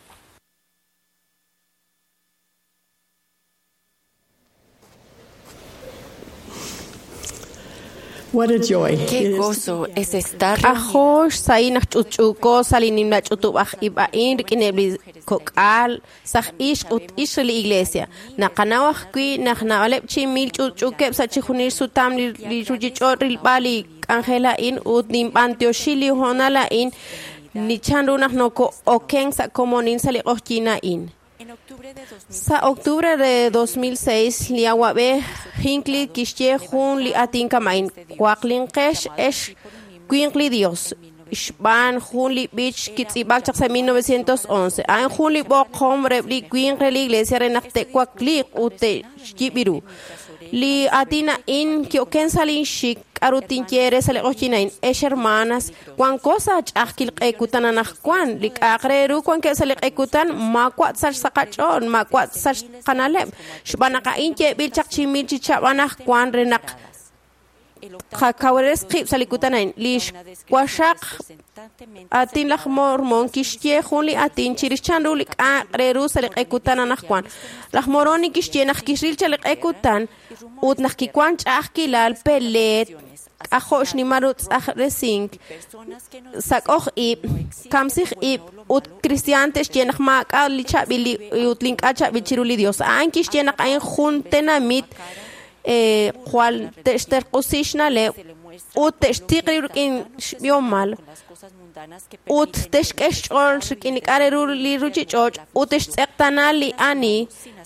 A: What a joy.
E: Qué gozo es estar
C: Ajo xsahil naq ch'utch'uuko sa' li nimla ch'utub'aj ib' a'in rik'ineb' li kok'al saj ixq ut ixq re li iglesia. Naqanaw ajwi' naq naab'aleb' chi mil ch'utch'uukeb' sa' chijunil sutam li ruchich'och' rilb'al li k'anjel a'in ut ninb'antioxi li hoonal a'in ni chanru naq noko'oken sa' komonil sa' li q'oqyin a'in. Sa' octubre de 2006, li awab'ej Hinckley kixye jun li aatin kama'in waqlinqex ex winq li Dios xb'aan jun li b'ich kitz'ib'ak chaq sa' 1911. A'in jun li b'oqom reheb' li winq re li iglesia re naq te'wakliiq ut te'xyib' ru. Li aatin a'in ki'oken sa' linxik k'aru tinye re sa' li q'oqyin a'in. Ex hermanas, wanko sa' ch'a'ajkil q'ekutan anaqwan. Li k'a'aq re ru wankeb' sa' li q'ekutan maawa' sach sa' qach'ool, maawa' sach qana'leb'. Xb'aan naq a'in yeeb'il chaq chi mil chi chab' anaqwan re naq qakawres qib' sa' li kutan a'in. Li xwaxaq aatin laj Mormon kixye jun li aatin chirix chanru li k'a'aq re ru sa' li q'ekutan anaqwan. Laj Moroni kixye naq kixril cha li q'ekutan ut naq kiwan ch'a'ajkilal peleet k'ajo' xnimal ru tz'ajresink sak'oj ib', kamsij ib' ut cristian te'xye naq maak'a' li chaab'il ut li ink'a' chaab'il chiru li Dios. A'an kixye naq a'in jun tenamit jwal te'xterq'usi xna'leb' ut te'xtiq rib' rik'in xb'ihomal ut te'xk'e xch'ool rik'in li k'a' re ru li ruchich'och' ut te'xtz'eqtana li ani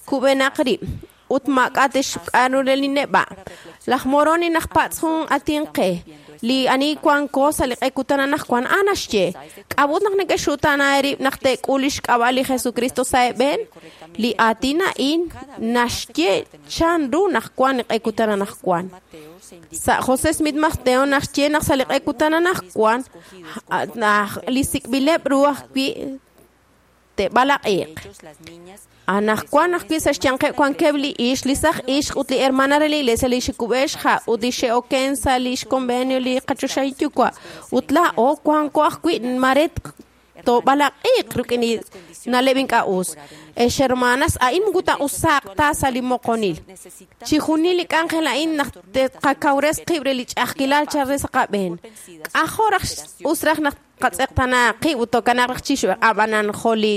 C: kub'enaq rib' ut maak'a' te'xk'a'ru re li neb'a'. Laj Moroni naq patz' jun aatin qe li ani wanko sa' li q'ekutan anaqwan a'an naxye k'a'ut naq neke'xutana eerib' naq te'k'ul li xk'ab'a' li Jesucristo sa' eeb'een. Li aatin a'in naxye chanru naq wan li q'ekutan anaqwan. Sa' José Smith Mateo naxye naq sa' li q'ekutan anaqwan li sik'b'ileb' ru ajwi' te'b'alaq'iq. Anaqwan ajwi' sa' xyanqeb' wankeb' li ixq, li saj ixq ut li hermana re li iglesia li xikub'e xha' ut li xe'oken sa' li xconvenio li qachoxahil yuwa'. Ut laa'o wanko ajwi' mare toob'alaq'iq rik'in li na'leb' ink'a' us. Ex hermanas, a'in moko taa'usaaq ta sa' li moqonil. Chijunil li k'anjel a'in naq te'qakawres qib' re li ch'a'ajkilal chal re sa' qab'een. K'ajo' raj us raj naq qatz'eqtana qib' ut tokanaq raj chixb'e ab'anan jo' li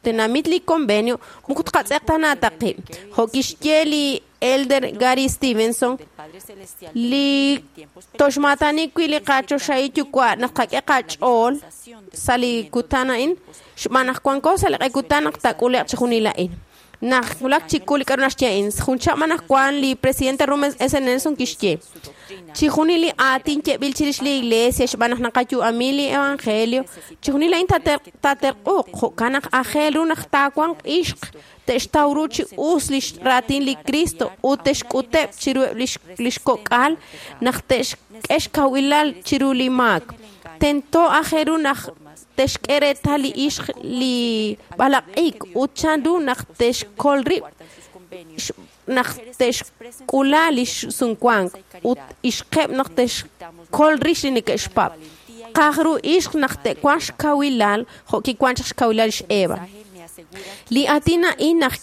C: tenamit li convenio moko tqatz'eqtana ta qib'. Jo' kixye li Elder Gary Stevenson, li toxmaatani wi' li qachoxahil yuwa' naq qak'e qach'ool sa' li kutan a'in xb'aan naq wanko sa' li q'ekutan naq taak'ule'q chijunil a'in. Naq wulak chikul li k'aru naxye a'in, jun chab' anaqwan li presidente Rummel S. Nelson kixye chijunil li aatin yeeb'il chirix li iglesia xb'aan naq naqayu'ami li evangelio, chijunil a'in taaterq'uuq jo'kan naq aajel ru naq taawanq ixq te'xtaw ru chi us li raatin li Cristo ut te'xk'uteb' chiru li xkok'al naq te'xk'e xkawilal chiru li maak. Tento aajel ru naq te'xk'e reetal li ixq li b'alaq'ik ut chanru naq te'xkol rib' naq te'xk'ula li sumwank ut ixqeb' naq te'xkol rix li neke'xpab'. Qaj ru ixq naq te'wanq xkawilal jo' kiwank chaq xkawilal xEva. Li aatin a'in naq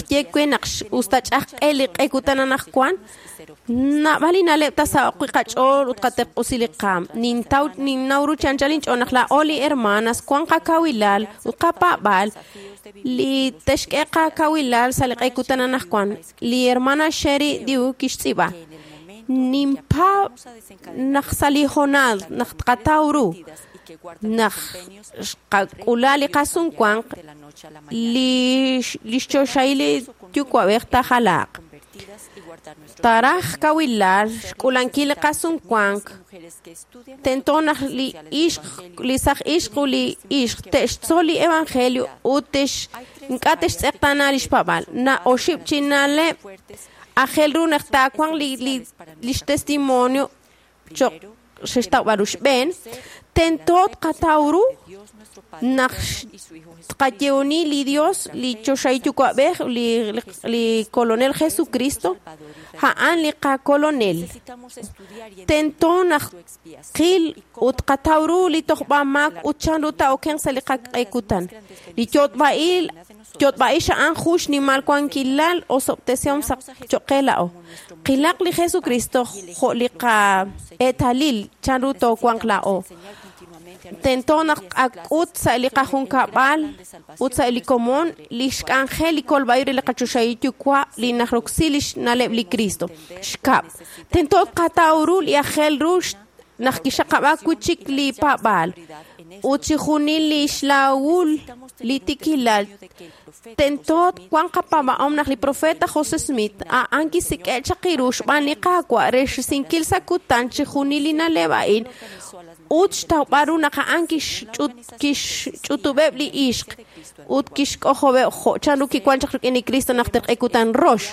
C: ye we naq us ta ch'a'ajq'e li q'ekutan anaqwan, naab'al li na'leb' tasaho'q wi' qach'ool ut qaterq'usi li qaam. Ninnaw ru chi anchal inch'ool naq laa'o li hermanas wan qakawilal ut qapaab'al li te'xk'e qakawilal sa' li q'ekutan anaqwan. Li hermana Sherry Dew kixtz'iib'a ninpaab' naq sa' li hoonal naq tqataw ru naq xqak'ula li qasumwank li xchoxahil li yuwa'b'ej taajalaaq. Taraj kawilal xk'ulankil li qasumwank tento naq li ixq li saj ixq ut li ixq te'xtzol li evangelio ut ink'a' te'xtz'eqtana li xpaab'al. Na oxib' chi na'leb' aajel ru naq taawanq li xtestimonio choq' xe'xtawb'al ru xb'een tento tqataw ru naq tqayehoni li Dios li choxahil yuwa'b'ej li kolonel Jesucristo a'an li qakolonel tento naq qil ut qataw ru li tojb'amaak ut chanru taa'okenq sa' li qaq'ekutan li yotb'a'il yotb'a'ix a'an jun xnimal wankilal osob'tesihom sa' cho'q qe la'o qilaq li Jesucristo jo' li qa'eetalil chanru toowanq la'o tento naq qak'ut sa' li qajunkab'al ut sa' li komon li xk'anjel li kolb'a'ib' re li qachoxahil yuwa' li najroksi li xna'leb' li Cristo xkab' tento tqataw ru li aajel ru naq kixaqab'aak wi' chik li paab'aal ut chixjunil li xlawul li tikilal tento wanq qapaab'ahom naq li profeta José Smith a'an kisik'e' chaq ru xb'aan li Qaawa' re xrisinkil sa' kutan chixjunil li na'leb' a'in ut xtawb'al ru naq a'an kixch'utub'eb' li ixq ut kixk'ojob'eb' jo' chanru kiwan chaq rik'in li Cristo naq terq'ekutan rox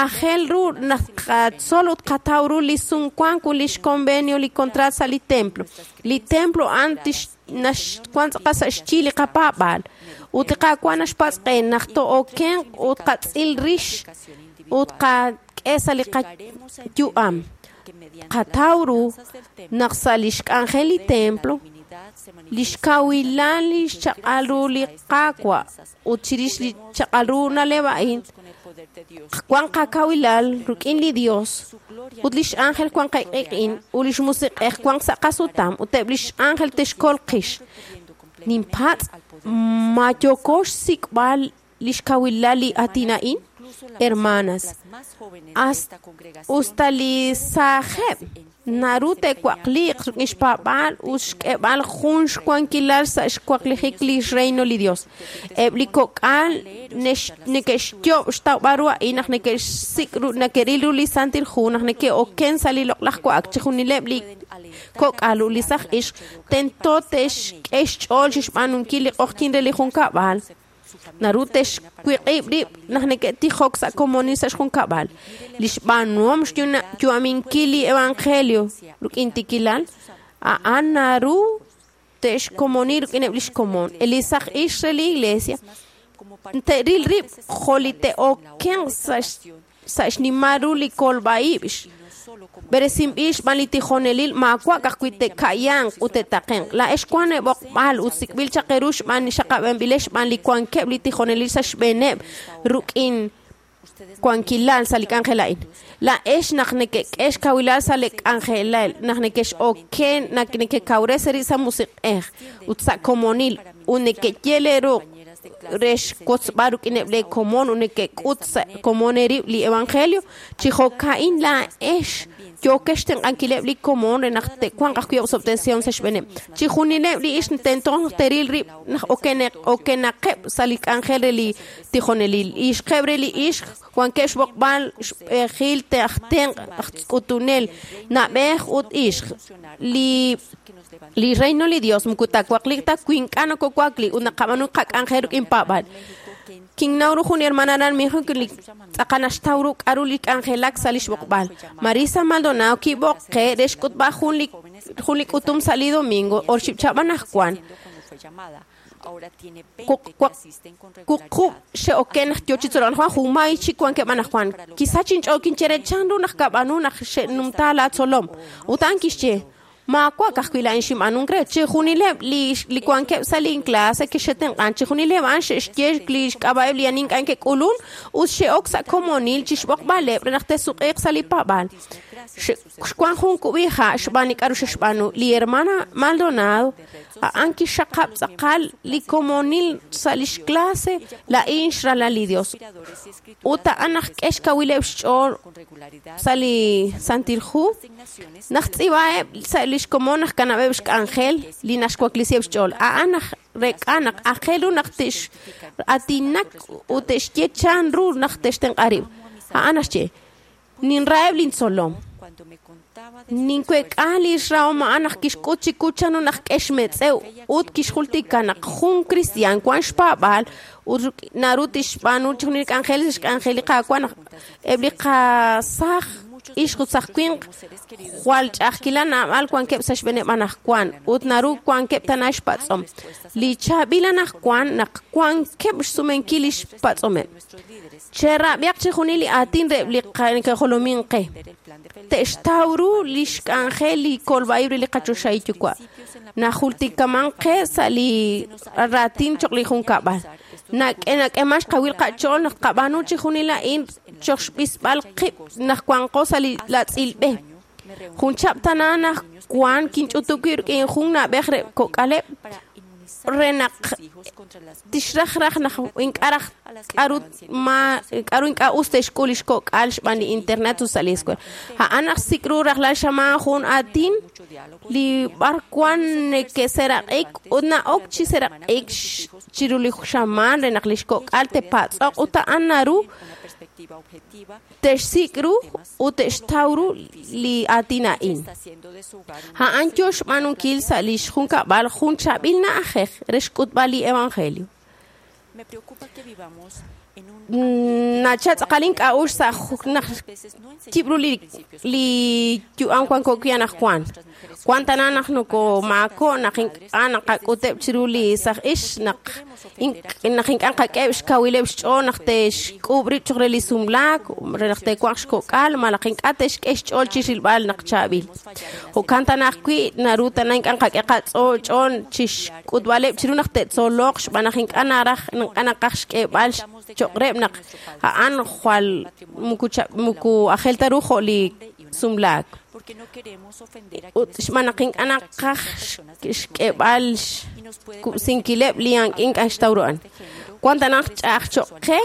C: aajel ru naq qatzol ut qataw ru li sumwank ut li xconvenio li contrat sa' li templo li templo a'an wan tz'aqal sa' xyi li qapaab'aal ut li Qaawa' naxpatz' qe naq to'okenq ut qatz'il rix ut qak'e sa' li qayu'am qataw ru naq sa' li xk'anjel li templo li xkawilal li xchaq'al ru li Qaawa' ut chirix li chaq'al ru na'leb' a'in wan qakawilal rik'in li Dios ut li x'ánjel wan qaq'ik'in ut li xmusiq'ej wan sa' qasutam ut eb' li x'ánjel texkol qix ninpatz' ma yooko xsik'b'al li xkawilal li aatin a'in hermanas usta li saajeb' naru te'waqliiq rik'in xpaab'aal ut xk'eb'al jun xwankilal sa' xwaqlijik li xreino li Dios eb' li kok'al neke'xyob' xtawb'al ru a'in naq neke'xsik' ru neke'ril ru li Santil Hu naq neke'oken sa' li loq'laj wa'ak chixjunileb' li kok'al ut li saj ixq tento te'xk'e xch'ool chixb'aanunkil li q'oqyink re li junkab'al naru texwiq'ib' rib' naq neke'tijok sa' komonil sa' xjunkab'al li xb'aanuhom xyu'aminkil li evangelio rik'in tikilal a'an naru te'xkomoni rik'ineb' li xkomon li saj ixq re li iglesia te'ril rib' jo' li te'okenq sa' xnimal ru li kolb'a'ib' b'eresinb'il xb'aan li tijonelil maawa' ka'ajwi' te'ka'yanq ut te'taqenq laa'ex wan eb'oqb'al ut sik'b'il chaq eeru xb'aan xaqab'anb'ilex xb'aan li wankeb' li tijonelil sa' xb'eeneb' rik'in wankilal sa' li k'anjel a'in laa'ex naq neke'k'e xkawilal sa' li k'anjelal naq neke'x'oken naq nekekawres eerib' sa' musiq'ej ut sa' komonil ut neke'yel eeru re xwotzb'al rik'ineb' lee komon ut neke'k'ut sa' komon eerib' li evangelio chi jo'ka'in laa'ex yookex xtenq'ankileb' li komon re naq te'wanq ajwi' osob'tesihom sa' xb'eeneb' chixjunileb' li ixq tento naq te'ril rib' naq okenaqeb' sa' li k'anjel re li tijonelil ixqeb' re li ixq wankeb' xb'oqb'al xb'ejil aj tenq' aj k'utunel na'b'ej ut ixq li reino li Dios moko taawaqliq ta wi ink'a' nokowakli ut naqab'aanu qak'anjel rik'in paab'aal kinnaw ru jun hermana aran México li tz'aqal naxtaw ru k'a'ru li k'anjelak sa' li xb'oqb'al Marisa Maldonado kib'oqe re xk'utb'al jun li k'utum sa' li domingo oxib' cha'b'an ajwan wuqub' xe'oken naq yoo chi tzolok anajwan junmay chik wankeb' anajwan kisach inch'ool kinchere chanru naq kab'aanu naq xe'numta laatzolom ut a'an kixye maawa' ka'ajwi' laa'in xinb'aanunk re chixjunileb' li wankeb' sa' lin clase kixe'tenq'an chixjunileb' a'an xe'xye li xk'ab'a'eb' li ani ink'a' ke'k'ulun ut xe'ok sa' komonil chixb'oqb'aleb' re naq te'suq'iiq sa' li paab'aal xwan jun kub'iha' xb'aan li k'a'ru xe'xb'aanu li hermana Maldonado a'an kixxaqab' tz'aqal li komonil sa' lix clase laa'in xralal li Dios ut a'an naq k'e xkawileb' xch'ool sa' li Santil Hu naq tz'iib'aheb' sa' li xkomon naq kanab'eb' xk'anjel li naxwaklisiheb' xch'ool a'an naq rek'a naq aajel ru naq te'x'aatinak ut te'xye chan ru naq te'xtenq'a rib' a'an naxye ninraheb' lintzolom ninkuek'a li xrahom a'an naq kixk'ut chiku chanru naq k'e xmetz'ew ut kixjultika naq jun kristiaan wan xpaab'aal ut naru tixb'aanu chixjunil li k'anjel xk'anjel li Qaawa' naq eb' li qasaaj ixq ut saj winq jwal ch'a'ajkilal naab'al wankeb' sa' xb'eeneb' anaqwan ut naru wankeb' tana xpatz'om. Li chaab'il anaqwan naq wankeb' xsumenkil li xpatz'omeb'. Cherab'ihaq chixjunil li aatin reheb' li neke'jolomin qe. Te'xtaw ru li xk'anjel li kolb'a'ib' re li qachoxahil yuwa'. Najultikaman qe sa' li raatin choq' li junkab'al. Nak'eman xkawil qach'ool naq tqab'aanu chixjunil a'in choq xb'isb'al qib' naq wanqo sa' li latz'il b'e. Jun chab' tana naq wan kinch'utub' wib' rik'in jun na'b'ej re kok'aleb' re naq tixraj raj naq ink'a' raj k'aru ma k'aru ink'a' us te'xk'ul li xkok'al xb'aan li internet ut sa' li escuela. A'an naq sik' ru rajlal xamaan jun aatin li b'ar wan neke'seraq'ik ut na'ok chi seraq'ik chiru li xamaan re naq li xkok'al te'patz'oq ut a'an naru te'xsik' ru ut te'xtaw ru li aatin a'in. A'an yo xb'aanunkil sa' li xjunkab'al jun chaab'il na'ajej re xk'utb'al li evangelio. Nacha tz'aqal ink'a'uxl sa' naq yib' ru li yu'am wanko wi' anaqwan. Wan tana naq nokomaako' naq ink'a' naqak'uteb' chiru li saj ix naq ink'a' nqak'eheb' xkawileb' xch'ool naq te'xk'uub' rib' choq' re li sumlaak re naq te'wanq xkok'al malaj ink'a' te'xk'e xch'ool chi rilb'al naq chaab'il. Jo'kan tana ajwi' naru tana ink'a' nqak'e qach'ool chi xk'utb'aleb' chiru naq te'tzoloq xb'aan naq ink'a' naraj ink'a' naqaj xk'eeb'al choq' reheb' naq a'an jwal muku ajel ta ru jo' li sumlaak. Ut xb'aan naq ink'a' naqaj xk'eeb'al xkub'sinkileb' li ink'a' xtaw ru a'an. Wan tana ch'a'aj choq' qe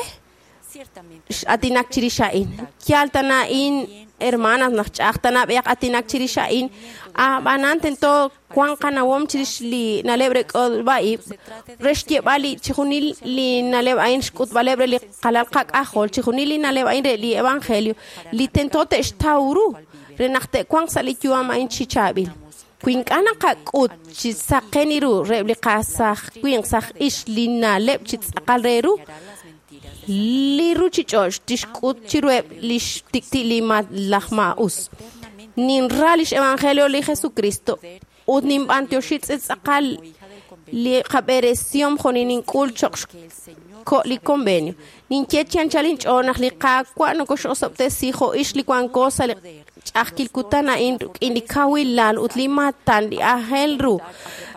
C: atinak chirix a'in. Yaal tana a'in hermanas naq ch'a'aj tana b'ehaq atinak chirix a'in. Ab'anan tento wan qanawom chirix li na'leb' re k'olb'a'ib' re xyeeb'al li chixjunil li na'leb' a'in xk'utb'aleb' re li qalal qak'ajol chixjunil li na'leb' a'in re li evangelio li tento te'xtaw ru re naq te'wanq sa' li yu'am a'in chi chaab'il. Wi ink'a' naqak'ut chi saqen ru reheb' li qasaj winq saj ix li na'leb' chi tz'aqal re ru li ruchich'och' tixk'ut chiruheb' li xtikti' li laj maa'us. Ninra lix evangelio li Jesucristo ut ninb'antioxi tz'aqal li qab'eresihom jo' nink'ul choq' xko' li convenio. Ninye chi anchal inch'ool naq li Qaawa' nokox'osob'tesi jo' ix li wanko sa' li ch'a'ajkil kutan a'in rik'in li kawilal ut li maatan li aajel ru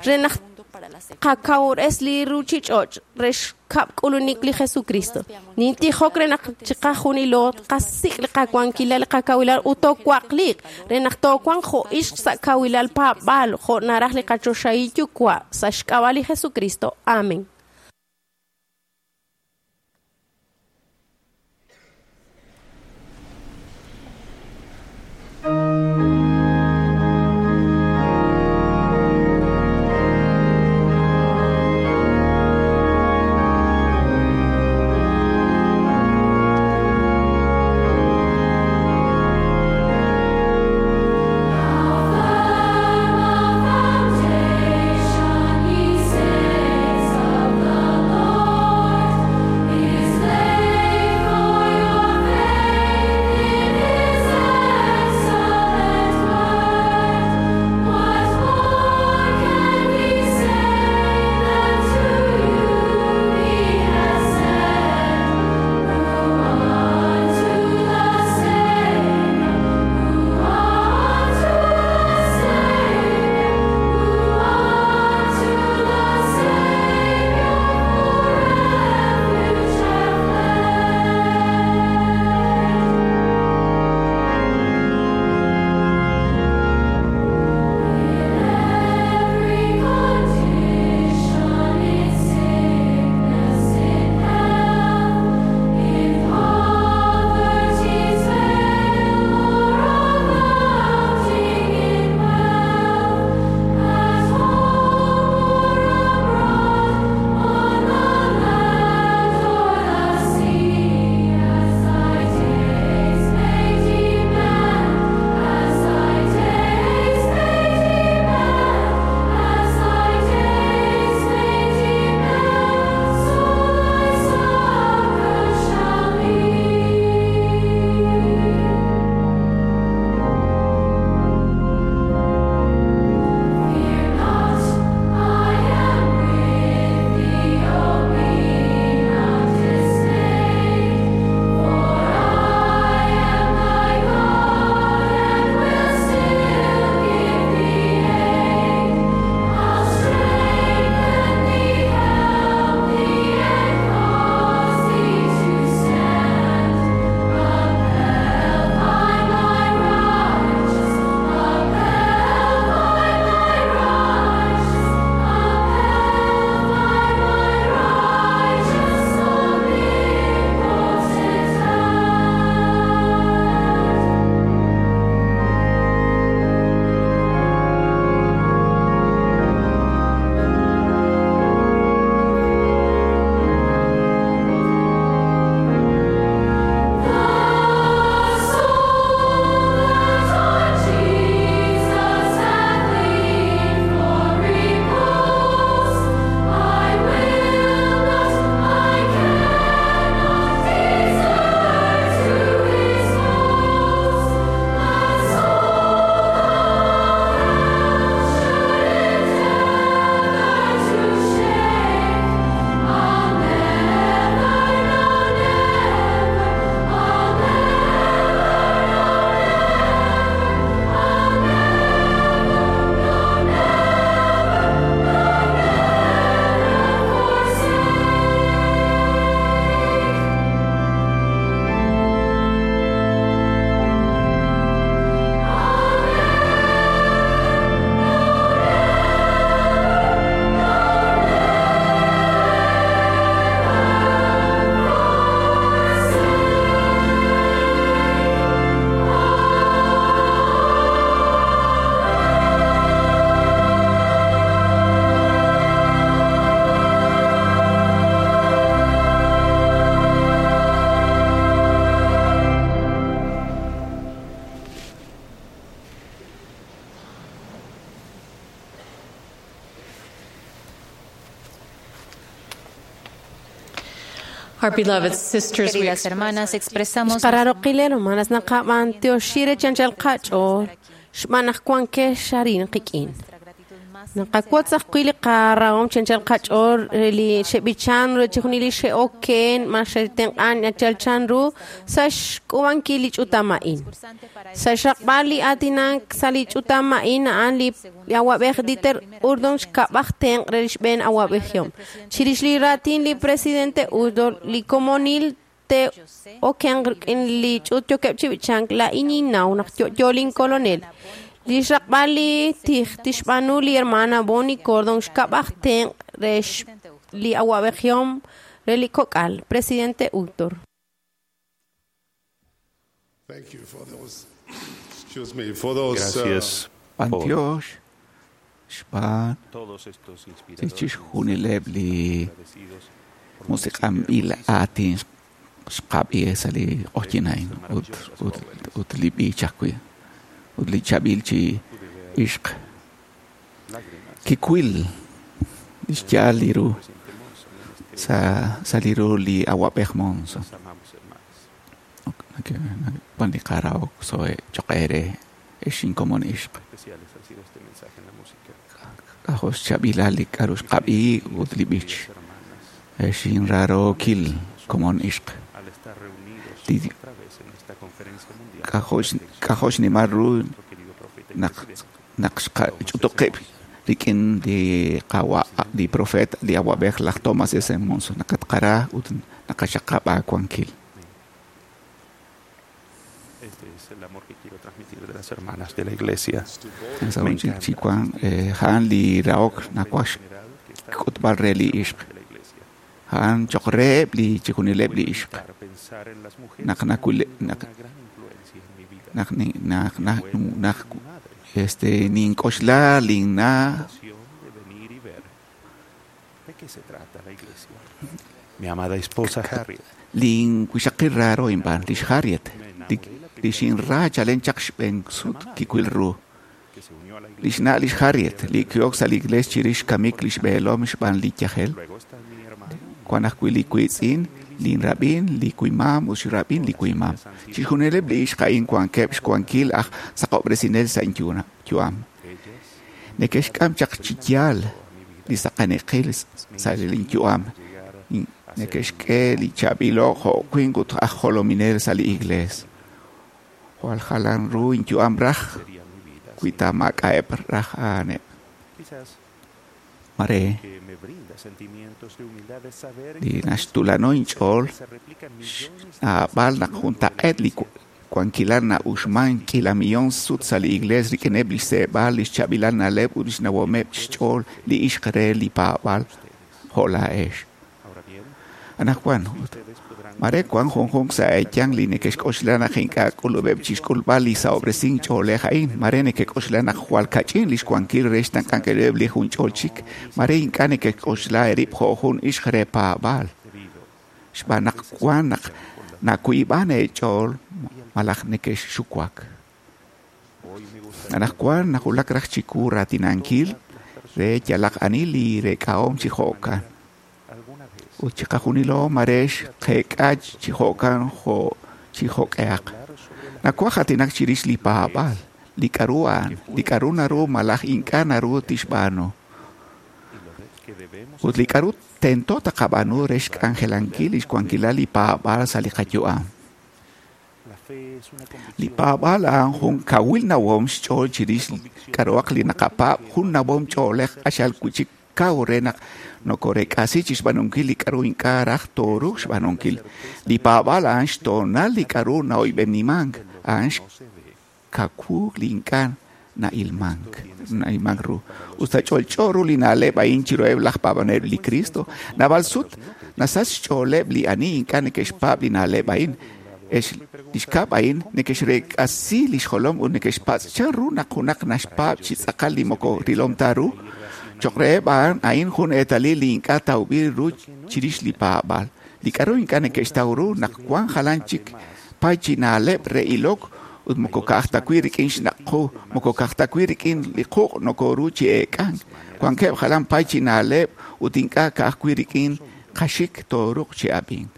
C: re naq qakawres li ruchich'och' re xkab' k'ulunik li Jesucristo. Nintijok re naq chiqajunilo qasik' li qawankilal li qakawilal ut toowaqliq re naq toowanq jo' ixq sa' kawilal paab'aal jo' naraj li qachoxahil yuwa' sa' xk'ab'a' li Jesucristo. Amén.
I: Foundation, ye saints of
G: Our beloved sisters, we
D: Queridas hermanas, expresamos
C: Xqararoqil hermanas naqab'antioxi re chanchal qach'ool xb'aan naq wankex arin qik'in. Naqawotz ajwi' li qarahom chanchal qach'ool re li xeb'ichan re chixjunil li xe'oken ma xe'tenq'an chanchal chanru sa' xk'ub'ankil li ch'utam a'in. Sa' xraqb'al li aatinak sa' li ch'utam a'in a'an li awab'ej Dieter Urdon xkab'aj tenq' re li xb'een awab'ejihom. Chirix li raatin li presidente Urdon li komonil te oken rik'in li ch'uut yookeb' chi b'ichank laa'in ninnaw naq yo'yo linkolonel. Li xraqb'al li tij tixb'aanu li hermana Bonnie Cordon xkab'aj tenq' re li awab'ejihom re li kok'al. Presidente Uchtdorf.
I: Thank you for those, excuse me, for those
J: Gracias por
K: B'antiox xb'aan
J: todos estos inspiradores
K: chixjunileb' li
J: agradecidos por
K: musiq'anb'il aatin xqab'i sa' li q'oqyin a'in ut ut ut li b'ich ajwi' ut li chab'il chi ixq
J: lágrimas
K: kiwil li xyaal li ru sa' sa' li ru li awab'ej Monson.
J: Nos amamos, hermanas.
K: Wan li qarahok so'e choq' eere ex inkomon ixq.
J: Especiales ha sido este mensaje en la música.
K: K'ajo' xchab'ilal li k'aru xqab'i ut li b'ich.
J: Hermanas,
K: Ex inrarookil komon ixq.
J: al estar reunidos
K: Li-
J: otra vez en esta conferencia mundial,
K: K'ajo' xnimal ru
J: nuestro querido profeta y
K: naq
J: presidente,
K: naq xqach'utuqib' rik'in li qawa li profet li awab'ej laj Thomas S. Monson naqatqara ut naqaxaqab' aawankil.
J: este es el amor que quiero transmitir de las hermanas de la iglesia.
K: Sa' chi wan a'an li rahok nawaj
J: General que está
K: xk'utb'al re li ixq.
J: de la iglesia.
K: A'an choq' reheb' li chixjunileb' li ixq.
J: Para pensar en las mujeres
K: Naq
J: que han
K: nakule-
J: tenido
K: naq-
J: una gran influencia en mi vida.
K: Naq ni- naq naq naq
J: Mi madre,
K: este nink'oxla linna'
J: ocasión de venir y ver de qué se trata la iglesia. Mi amada esposa Harriet
K: lin wixaqil raro inb'an lix Harriet li li xinra chalen chaq xb'een sut kiwil ru.
J: que se unió a la
K: Lix
J: iglesia.
K: na' lix Harriet li ki'ok sa' li iglees chirix xkamik lix b'eelom xb'aan li yajel.
J: Luego está mi hermano,
K: Wan ajwi' li wiitz'in, linrab'in, li wimam ut xrab'in li wimam. Chixjunileb' li ixq a'in wankeb' xwankil aj saqob'resinel sa' inyu'am.
J: ellas
K: Neke'xk'am chaq chi yaal li saqaniqil sa' linyu'am.
J: llegar
K: Neke'xk'e li chaab'ilo' jo' winq ut aj jolominel sa' li iglees. Jwal jalan ru inyu'am raj
J: sería mi vida.
K: wi ta maak'a'eb' raj a'aneb'.
J: Quizás
K: Mare
J: que me brinda sentimientos de humildad es saber
K: li naxtulano inch'ool
J: que se replican millones de
K: xnaab'al naq juntaq'eet li wankilal na'uxman k'iila millón sut sa' li iglees rik'ineb' li xseeb'al, li xchaab'ilal na'leb' ut li xnawomeb' xch'ool li ixq re li paab'al jo' laa'ex.
J: Ahora bien,
K: Anaqwan ut
J: ustedes podrán
K: mare wan junjunq sa' eeyang li neke'xk'oxla naq ink'a' k'ulub'eb' chixk'ulb'al li sahob'resink ch'oolej a'in. Mare neke'k'oxla naq jwal kach'in li xwankil re xtenq'ankileb' li junch'ol chik. Mare ink'a' neke'k'oxla eerib' jo' jun ixq re paab'al.
J: debido
K: Xb'aan naq wan naq nakuib'an eech'ool malaj neke'xuwak.
J: hoy me gustaría
K: Anaqwan nawulak raj chiku raatinankil re yalaq ani li reek'ahom chi jo'kan.
J: alguna vez
K: Ut chiqajunilo mare xqeek'a chi jo'kan jo' chi jo'k'ehaq.
J: hablar sobre la
K: Nawaj aatinak chirix li paab'al, li k'aru a'an, li k'aru naru malaj ink'a' naru tixb'aanu.
J: y lo de- que debemos
K: Ut li k'aru tento taqab'aanu re xk'anjelankil li xwankilal li paab'al sa' li qayu'am.
J: La fe es una
K: Li
J: convicción
K: paab'al a'an jun kawil nawom xch'ool chirix k'aruhaq li naqapaab' jun nawom ch'oolej q'axal wi'chik kaw re naq nokorek'asi chixb'aanunkil li k'aru ink'a' raj tooruuq xb'aanunkil. Li paab'al a'an xtoonal li k'aru na'oyb'enimank, a'an
J: no se ve
K: xkawuk li ink'a' na'ilmank na'ilmank ru. Usta ch'olch'o ru li na'leb' a'in chiruheb' laj paab'anel li Cristo, naab'al sut nasach xch'ooleb' li ani ink'a' neke'xpaab' li na'leb' a'in. Ex li xkab' a'in neke'xreek'asi li xjolom ut neke'xpatz' chan ru naq junaq naxpaab' chi tz'aqal li moko rilom ta ru. Choq' reheb' a'an a'in jun eetalil li ink'a' tawb'il ru chirix li paab'aal. Li k'aru ink'a' neke'xtaw ru naq wan jalan chik pay chi na'leb' re ilok ut moko ka'aj ta wi' rik'in xnaq' qu, moko ka'aj ta wi' rik'in li quq' nokoru chi eek'ank. Wankeb' jalan pay chi na'leb' ut ink'a' ka'aj wi' rik'in qaxik tooruuq chi ab'ink.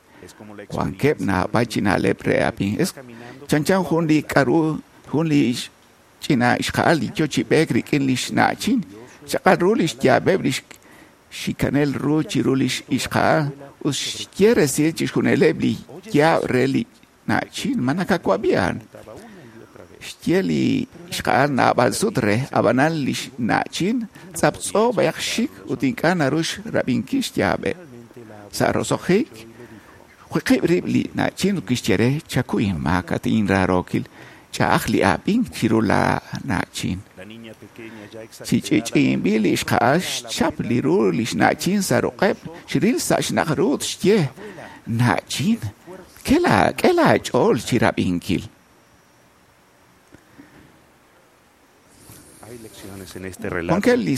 K: Wankeb' naab'al chi na'leb' re ab'ink. Es chanchan jun li k'aru jun li ch'ina ixqa'al li yo chi b'eek rik'in li xna'chin. Chaqal ru li xyaab'eb' li xikanel ru chiru li ixqa'al ut xye resil chixjunileb' li yaab' re li na'chin. Ma nakawab'i a'an? Xye li ixqa'al naab'al sut re, ab'anan li xna'chin tz'aptz'o b'ayaq xik ut ink'a' naru xrab'inkil xyaab'eb'. Sa' roso'jik, wiqib' rib' li na'chin ut kixye re, chakuy inmaak at inraarookil, ch'a'aj li ab'ink chiru la na'chin. Chi ch'i'ch'i'inb'il li ixqa'al xchap li ru li xna'chin sa' ruq'eb', xril sa' xnaq' ru ut xye, na'chin, k'e laach'ool chi rab'inkil. Wankeb' li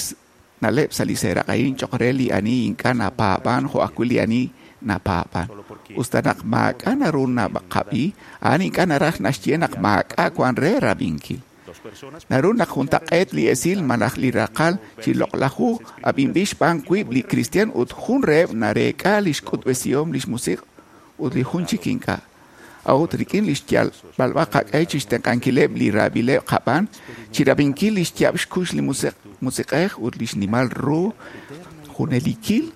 K: na'leb' sa' li seeraq' a'in cho'q re li ani ink'a' napaab'an jo' ajwi' li ani napaab'an. Usta naq maak'a' naru naqab'i, a'an ink'a' naraj naxye naq maak'a' wan re rab'inkil. Naru naq juntaq'eet li esil malaj li raqal chi loq'laj hu ab'inb'il xb'aan wiib' li kristiaan ut jun reheb' nareek'a li xk'utb'esihom li xmusiq' ut li jun chik ink'a'. A'ut rik'in li xyalb'alb'a qaq'e chixtenq'ankileb' li raab'ileb' qab'aan, chirab'inkil li xyaab' xkux li musiq'ej ut li xnimal ru junelikil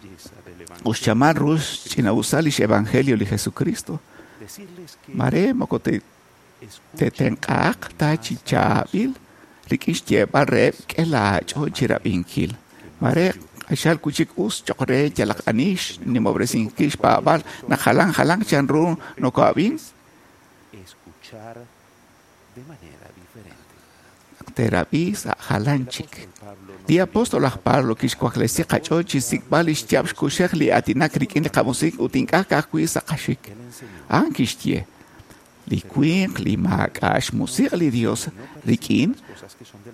K: ut xchamal ru xch'ina'usal lix evangelio li Jesucristo. Mare moko tetenq'aaq ta chi chaab'il rik'in xyeeb'al reheb' k'e laach'ool chirab'inkil. Mare q'axal wi' chik us cho'q re yalaq ani xnimob'resinkil xpaab'al naq jalan jalan chanru noko'ab'in naq teerab'i sa' jalan chik. Li apóstol aj Pablo kixwaklesi qach'ool chi xsik'b'al li xyaab' xkuxej li aatinak rik'in li qamusiq ut ink'a' ka'ajwi' sa' qaxik. A'an kixye, li winq li maak'a' xmusiq' li Dios rik'in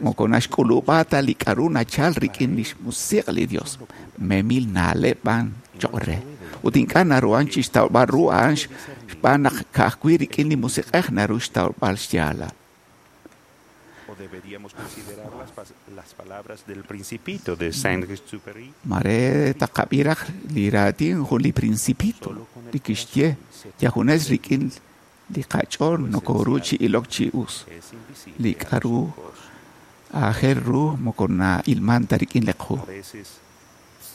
K: moko naxk'ulub'a ta li k'aru nachal rik'in li xmusiq' li Dios. Memil na'leb' b'an cho'q re. Ut ink'a' naruhan chixtawb'al ru a'an xb'aan naq ka'ajwi' rik'in li musiq'ej naru xtawb'al xyaalal.
J: O deberíamos considerar las palabras del Principito de Saint-Exupéry.
K: Mare taqab'i raj li raatin jun li Principito li kixye yajunes rik'in li qach'ool nokoru chi ilok chi us. Li k'aru aajel ru moko na'ilman ta rik'in li qu.
J: A veces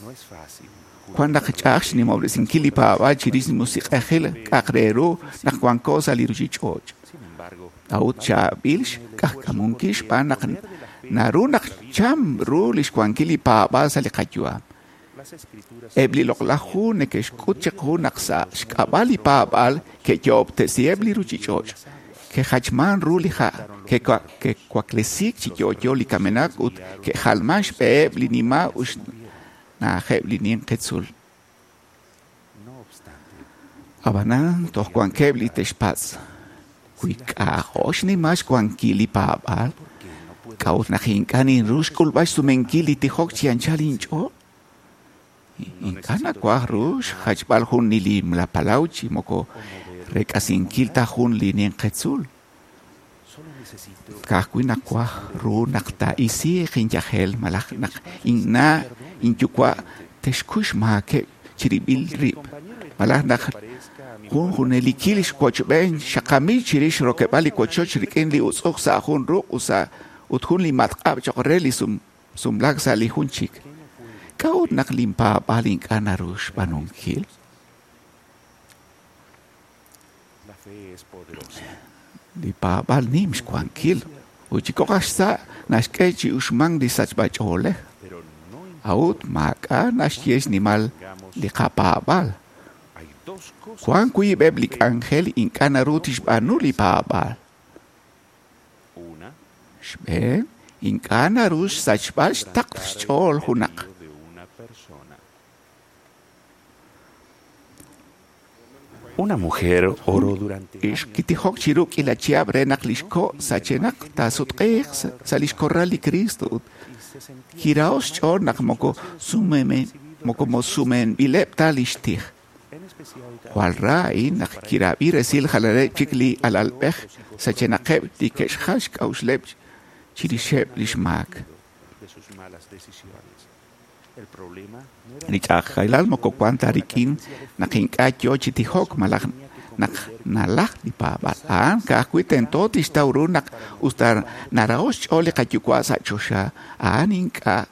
J: no es fácil.
K: Wan naq ch'a'aj xnimob'resinkil li paab'aal chirix li musiq'ejil k'a'aq re ru naq wanko sa' li ruchich'och'.
J: Sin embargo,
K: A'ut chaab'il xk'ajk'amunkil xb'aan naq naru naq cham ru li xwankil li paab'aal sa' li qayu'am.
J: las escrituras
K: Eb' li loq'laj hu neke'xk'ut chiqu naq sa' xk'ab'a' li paab'aal ke'yo'ob'tesiheb' li ruchich'och', ke'jachman ru li ha', ke'waklesiik chi yo'yo li kamenaq ut ke'jalman xb'eheb' li nima' ut xna'ajeb' li ninqi tzuul.
J: no obstante,
K: Ab'anan toj wankeb' li te'xpatz'. Wi k'a'jo xnimal xwankil li paab'aal, k'a'ut naq ink'a' ninru xk'ulb'al xsumenkil li tijok chi anchal inch'ool? Ink'a' nawaj ru xjachb'al jun li nimla palaw chi moko rek'asinkil ta jun li ninqi tzuul.
J: solo necesito
K: Ka'ajwi' nawaj ru naq taa'isiiq inyajel malaj naq inna' inyuwa' te'xkuy xmaakeb' chirib'il rib', malaj naq jun junelikil xwochb'een xaqamil chirix rokeb'aal li wochoch rik'in li utz'uj sa' jun ruq' ut jun li matq'ab' cho'q re li sumlaak sa' li jun chik. K'a'ut naq linpaab'aal ink'a' naru xb'aanunkil?
J: la fe es poderosa.
K: Li paab'aal nim xwankil ut chi kok' aj xsa' naxk'e chi uxmank li sachb'ach'oolej.
J: Pero no
K: A'ut maak'a' naxye xnimal li qapaab'aal.
J: hay dos cosas.
K: Wan wiib'eb' li k'anjel ink'a' naru tixb'aanu li paab'aal.
J: Una,
K: Xb'een, ink'a' naru xsachb'al xtaql xch'ool junaq.
J: de una persona. Una mujer oró durante
K: Ix kitijok chiru k'iila chihab' re naq li xko' sachenaq taasutq'iiq sa' li xkorral li Cristo ut
J: y se sentía
K: kiraho' xch'ool naq moko sumenb'ileb' ta li xtij.
J: en especial
K: Jwal ra a'in naq kirab'i resil jalaneb' chik li alalb'ej sachenaqeb' li ke'xjal xk'a'uxleb' chirixeb' li xmaak.
J: de sus malas decisiones.
K: Li ch'a'ajkilal moko wan ta rik'in naq ink'a' yoo chi tijok malaj naq nalaj li paab'aal. A'an ka'ajwi' tento tixtaw ru naq usta naraho' xch'ool li qayuwa' sa' choxa, a'an ink'a'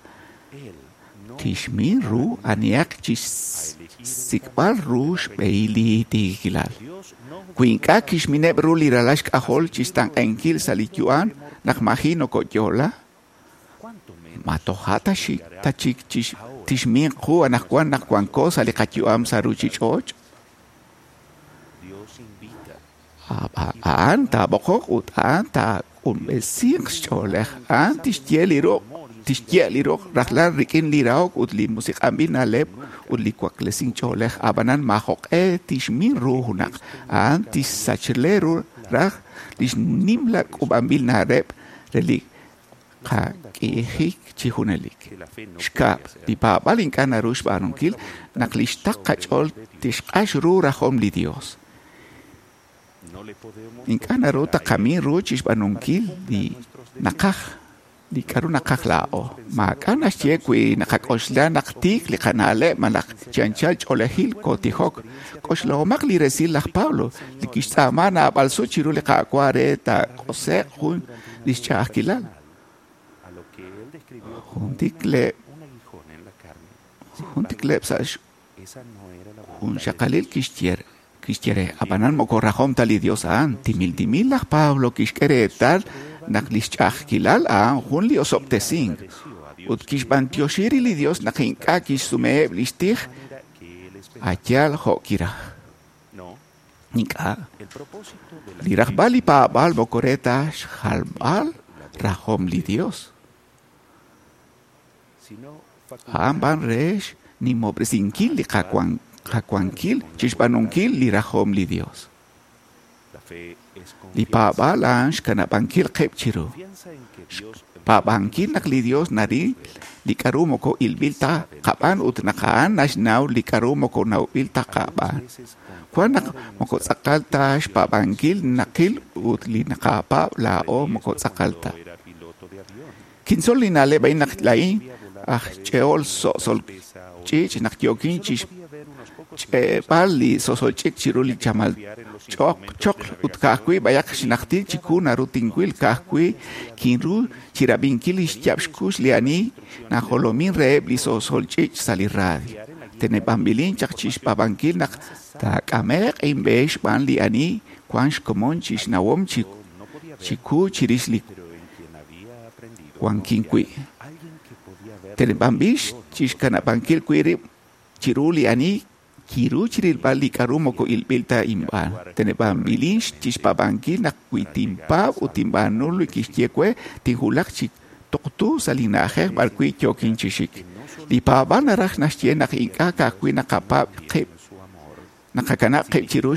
K: tixmin ru anihaq chixsik'b'al ru xb'ehil li tiikilal. Wi ink'a' kixmineb' ru li ralal xk'ajol chixtenq'ankil sa' li yu'am naq maji' nokoyo'la, ma toja' ta chik tixmin qu anaqwan naq wanko sa' li qayu'am sa' ruchich'och'? A'an taab'oqoq ut a'an taaq'unb'esinq xch'oolej. A'an tixye li ruq' rajlal rik'in li rahok ut li musiq'anb'il na'leb' ut li waklesink ch'oolej. Ab'anan maajoq'e tixmin ru junaq. A'an tixsachle ru raj lix nimla k'uub'anb'il na'leb' re li qak'ijik chi junelik. Xkab', li paab'aal ink'a' naru xb'aanunkil naq li xtaql qach'ool tixq'ax ru rajom li Dios. Ink'a' naru taqamin ru chixb'aanunkil li naqaj, li k'aru naqaj laa'o. Maak'a' naxye wi naqak'oxla naq tiik li qana'leb' malaj chi anchal ch'oolejil kootijok. K'oxlahomaq li resil laj Pablo, li kixtz'aama naab'al sut chiru li Qaawa' re taaq'ose'q jun lix ch'a'ajkilal. Jun tikleb' sa' jun xaqalil kixye re, ab'anan moko rajom ta li Dios a'an. Timil timil laj Pablo kixk'e reetal naq lix ch'a'ajkilal a'an jun li osob'tesink ut kixb'antioxi ri li Dios naq ink'a' kixsumeheb' lix tij ayal jo' kiraj. Ink'a'. Li rajb'al li paab'aal moko re ta xjalb'al rajom li Dios. A'an b'an re xnimob'resinkil li qawankil chixb'aanunkil li rajom li Dios. Li paab'aal a'an xkanab'ankil qib' chiru. Xpaab'ankil naq li Dios naril li k'aru moko ilb'il ta qab'aan ut naq a'an naxnaw li k'aru moko nawb'il ta qab'aan. Wan naq moko tz'aqal ta xpaab'ankil naqil ut li naqapaab' laa'o moko tz'aqal ta. Kintzol li na'leb' a'in naq laa'in aj ch'e'ol so'sol ch'iich' naq yookin chixch'e'b'al li so'sol ch'iich' chiru li chamal choql ut ka'ajwi' b'ayaq xnajtil chiwu naru tinwil ka'ajwi' kinru chirab'inkil li xyaab' xkux li ani najolomin reheb' li so'sol ch'iich' sa' li radio. Teneb'anb'ilin chaq chixpaab'ankil naq taak'ame'q inb'e xb'aan li ani wan xkomon chixnawom chiwu chirix li wankin wi'. Teneb'anb'il chixkanab'ankil wi' rib' chiru li ani kiru chirilb'al li k'aru moko ilb'il ta inb'aan. Teneb'anb'ilin chixpaab'ankil naq wi tinpaab' ut tinb'aanu li kixye we, tinwulaq chi tuqtu sa' li na'ajej b'arwi' yookin chi xik. Li paab'aal naraj naxye naq ink'a' ka'ajwi' naqapaab' qib', naqakanab' qib' chiru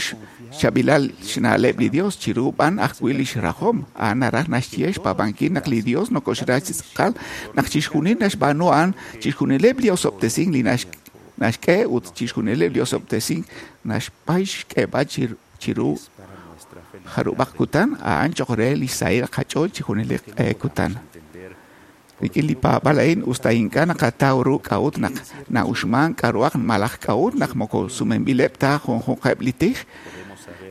K: xchaab'ilal xna'leb' li Dios, chiru b'an ajwi' lix rajom. A'an naraj naxye xpaab'ankil naq li Dios nokoxra chi tz'aqal, naq chixjunil naxb'aanu a'an chixjunileb' li osob'tesink li naxk'e ut chixjunileb' li osob'tesink naxpay xk'eeb'al chiru jarub'aq kutan, a'an choq' re li xsahil qach'ool chi junelik q'e kutan. Rik'in li paab'aal a'in usta ink'a' naqataw ru k'a'ut naq na'uxman k'a'ruhaq malaj k'a'ut naq moko sumenb'ileb' ta junjunqeb' li tij,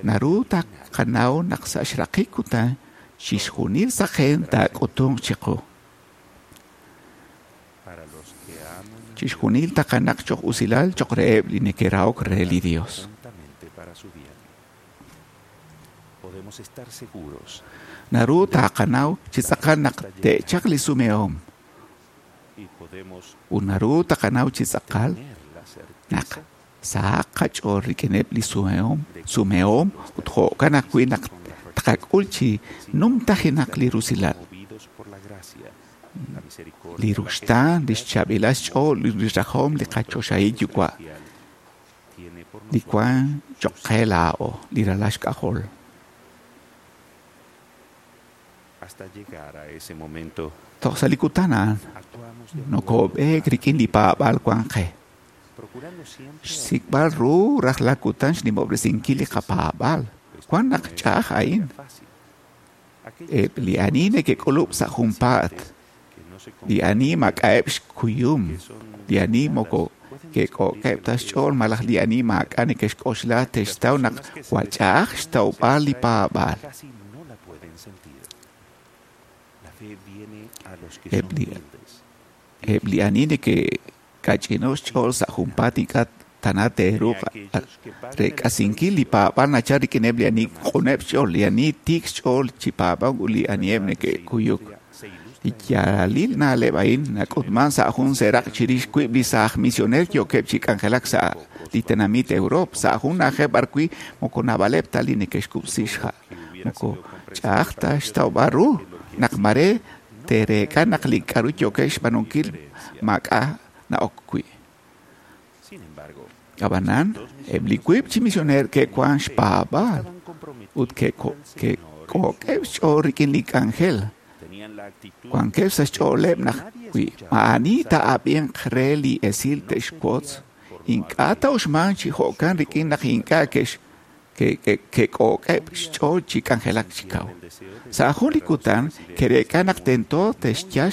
K: naru taqanaw naq sa' xraqik kutan chixjunil saqen taak'utunq chiqu. Chixjunil taqanaq choq' usilal choq' reheb' li neke'rahok re li Dios. Naru taqanaw chi tz'aqal naq te'chaq li sumehom. Ut naru taqanaw chi tz'aqal naq sahaq qach'ool rik'ineb' li sumehom ut jo'kan ajwi' naq taqak'ul chi numtajenaq li rusilal. Li ruxtaan, li xchaab'ilal xch'ool, li rajom li qachoxahil yuwa' li wan choq' qe laa'o, li ralal xk'ajol. Toj sa' li kutan a'an nokob'eek rik'in li paab'aal wan qe. Xsik'b'al ru rajlal kutan xnimob'resinkil li qapaab'aal. Wan naq ch'a'aj a'in. Eb' li ani neke'k'ulub' sa' junpaat. Li ani maak'a'eb' xkuyum, li ani moko ke'k'o'keb' ta xch'ool malaj li ani maak'a' neke'xk'oxla te'xtaw naq jwal ch'a'aj xtawb'al li paab'aal. Eb' li ani neke'kach'ino xch'ool sa' junpaat ink'a' tana te'ruuq reek'asinkil li paab'aal nachal rik'ineb' li ani q'uneb' xch'ool, li ani tiik xch'ool chi paab'ank ut li aniheb' neke'kuyuk. Li yaalalil na'leb' a'in nak'utman sa' jun seeraq' chirix wiib' li saaj misioneer yookeb' chi k'anjelak sa' li tenamit Europe, sa' jun na'ajej b'arwi' moko naab'aleb' ta li neke'xkub'si xha'. Moko ch'a'aj ta xtawb'al ru naq mare te'reek'a naq li k'a'ru yookeb' xb'aanunkil maak'a' na'ok wi'. Ab'anan, eb' li wiib' chi misioneer ke'wan xpaab'aal ut ke'k'o'keb' xch'ool rik'in li k'anjel. Wankeb' sa' xch'ooleb' naq wi maa'ani taa'ab'inq re li esil te'xwotz, ink'a' ta'uxmanq chi jo'kan rik'in naq ink'a' ke'k'o'keb' xch'ool chi k'anjelak chi kaw. Sa' jun li kutan ke'reek'a naq tento te'xyal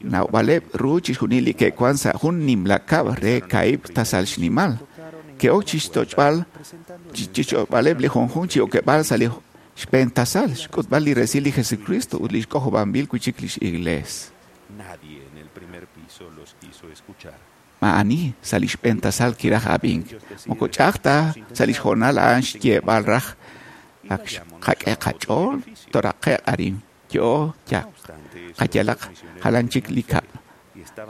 K: xnawb'aleb' ru chixjunil li ke'wan sa' jun nimla kab'l re kaahib' tasal xnimal. Ke'ok chixtoch'b'aleb' li junjunq chi okeb'aal sa' li xb'een tasal, xk'utb'al li resil li Jesucristo ut li xk'ojob'anb'il wi' chik lix iglees. Maa'ani sa' li xb'een tasal kiraj ab'ink. Moko ch'a'aj ta sa' li xhoonal a'an xyeeb'al raj ak qak'e qach'ool toraqe'q arin yo ya qayalaq jalan chik li kab'l.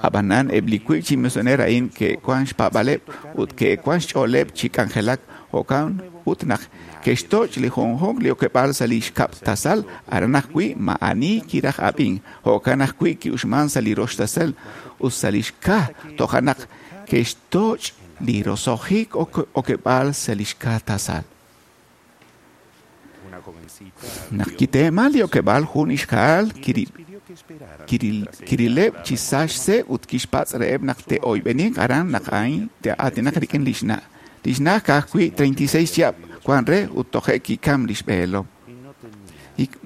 K: Ab'anan eb' li wiib' chi misioneer a'in ke'wan xpaab'aleb' ut ke'wan xch'ooleb' chi k'anjelak jo'kan ut naq ke'xtoch' li junjunq li okeb'aal sa' li xkab' tasal aran ajwi' maa'ani kiraj ab'ink jo'kan ajwi' ki'uxman sa' li rox tasal ut sa' li xka toja' naq ke'xtoch' li roso'jik okeb'aal sa' li xka tasal. Naq kiteeman li okeb'aal jun ixqa'al kirileb' chi sa xse' ut kixpatz' reheb' naq te'oyb'eninq aran naq a'in te'aatinaq rik'in li xna'. Li xna' ka'ajwi' 36 chihab' wan re ut toje' kikam li xb'eelom.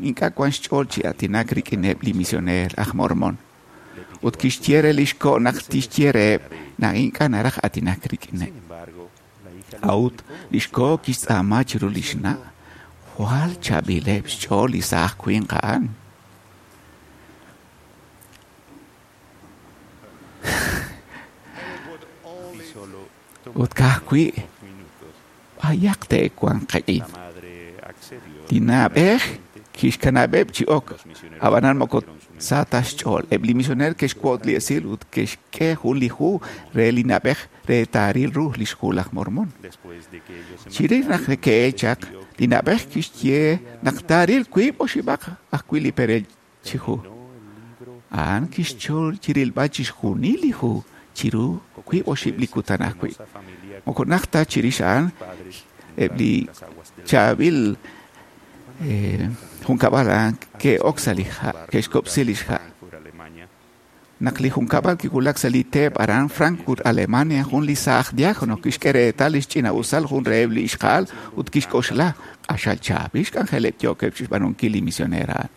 K: Ink'a' wan xch'ool chi aatinak rik'ineb' li misioneer aj Mormon. Ut kixye re li xko' naq tixye reheb' naq ink'a' naraj aatinak rik'ineb'. A'ut li xko' kixtz'aama chiru li xna'. Jwal chaab'ileb' xch'ool li saaj winq a'an. Ut ka'ajwi' b'ayaq te'wanq qik'in. Li na'b'ej kixkanab'eb' chi ok, ab'anan moko sa ta xch'ool. Eb' li misioneer ke'xwot li esil ut ke'xk'e jun li hu re li na'b'ej re taaril ru li xhu laj Mormon. Chirix naq ke'el chaq, li na'b'ej kixye naq taaril wiib' oxib'aq ajwi' li perel chi hu. A'an kixchol chirilb'al chixjunil li hu chiru wiib' oxib' li kutan ajwi'. Moko najt ta chirix a'an eb' li chaab'il junkab'al a'an ke'ok sa' li ha', ke'xkob'si li xha'. Naq li junkab'al kiwulak sa' li teep aran Frankfurt, Alemania, jun li saaj diácono kixk'e reetal li xch'ina'usal jun reheb' li ixqa'al ut kixk'oxla q'axal chaab'il xk'anjeleb' yookeb' chixb'aanunkil li misioneer a'an.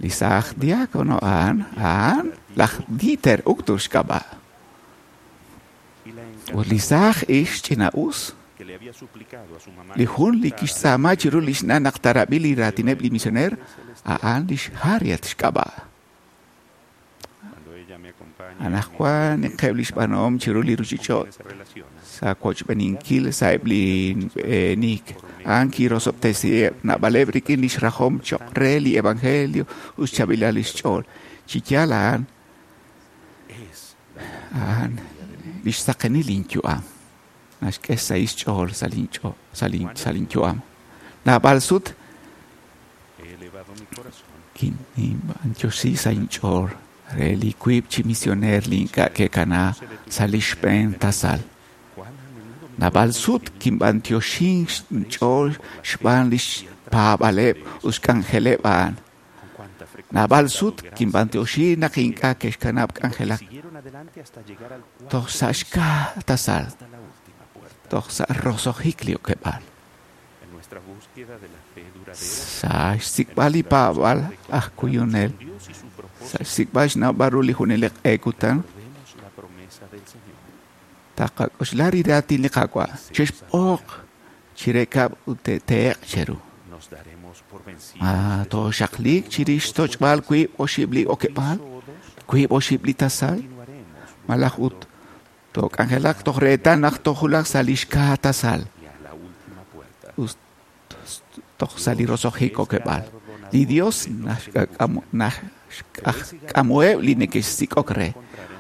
K: Li saaj diácono a'an, a'an laj Dieter Uchtdorf xk'ab'a'. Ut li saaj ix ch'ina'us li jun li kixtz'aama chiru li xna' naq tarab'i li raatineb' li misioneer a'an lix Harriet xk'ab'a'. Anaqwan ninqeb' li xb'aanuhom chiru li ruuchich'och' sa' wochb'eninkil sa'eb' li b'eenik. A'an kirosob'tesiheb' naab'aleb' rik'in li xrajom cho'q re li evangelio ut xchaab'ilal li xch'ool. Chi yaal a'an, a'an li xsaqenil linyu'am. Naxk'e xsahil xch'ool sa' linyu'am. Naab'al sut kinb'antioxi sa' inch'ool re li wiib' chi misioneer li ink'a' ke'kana sa' li xb'een tasal. Naab'al sut kinb'antioxin inch'ool xb'aan li xpaab'aleb' ut xk'anjeleb' a'an. Naab'al sut kinb'antioxi naq ink'a' ke'xkanab' k'anjelak toj sa' xka tasal, toj sa' roso'jik li okeb'aal. Sa' xsik'b'al li paab'aal aj kuyunel, sa' xsik'b'al xnawb'al ru li junelik q'e kutan, taqak'oxla li raatin li Qaawa' chexb'oq chirekab' ut te'teeq cheru. Ma tooxaqliik chirix xtoch'b'al wiib' oxib' li okeb'aal, wiib' oxib' li tasal, malaj ut took'anjelaq toj reetal naq tojulaq sa' li xkaa tasal ut toj sa' li roso'jik okeb'aal. Li Dios naxk'amuheb' li neke'xsik'ok re,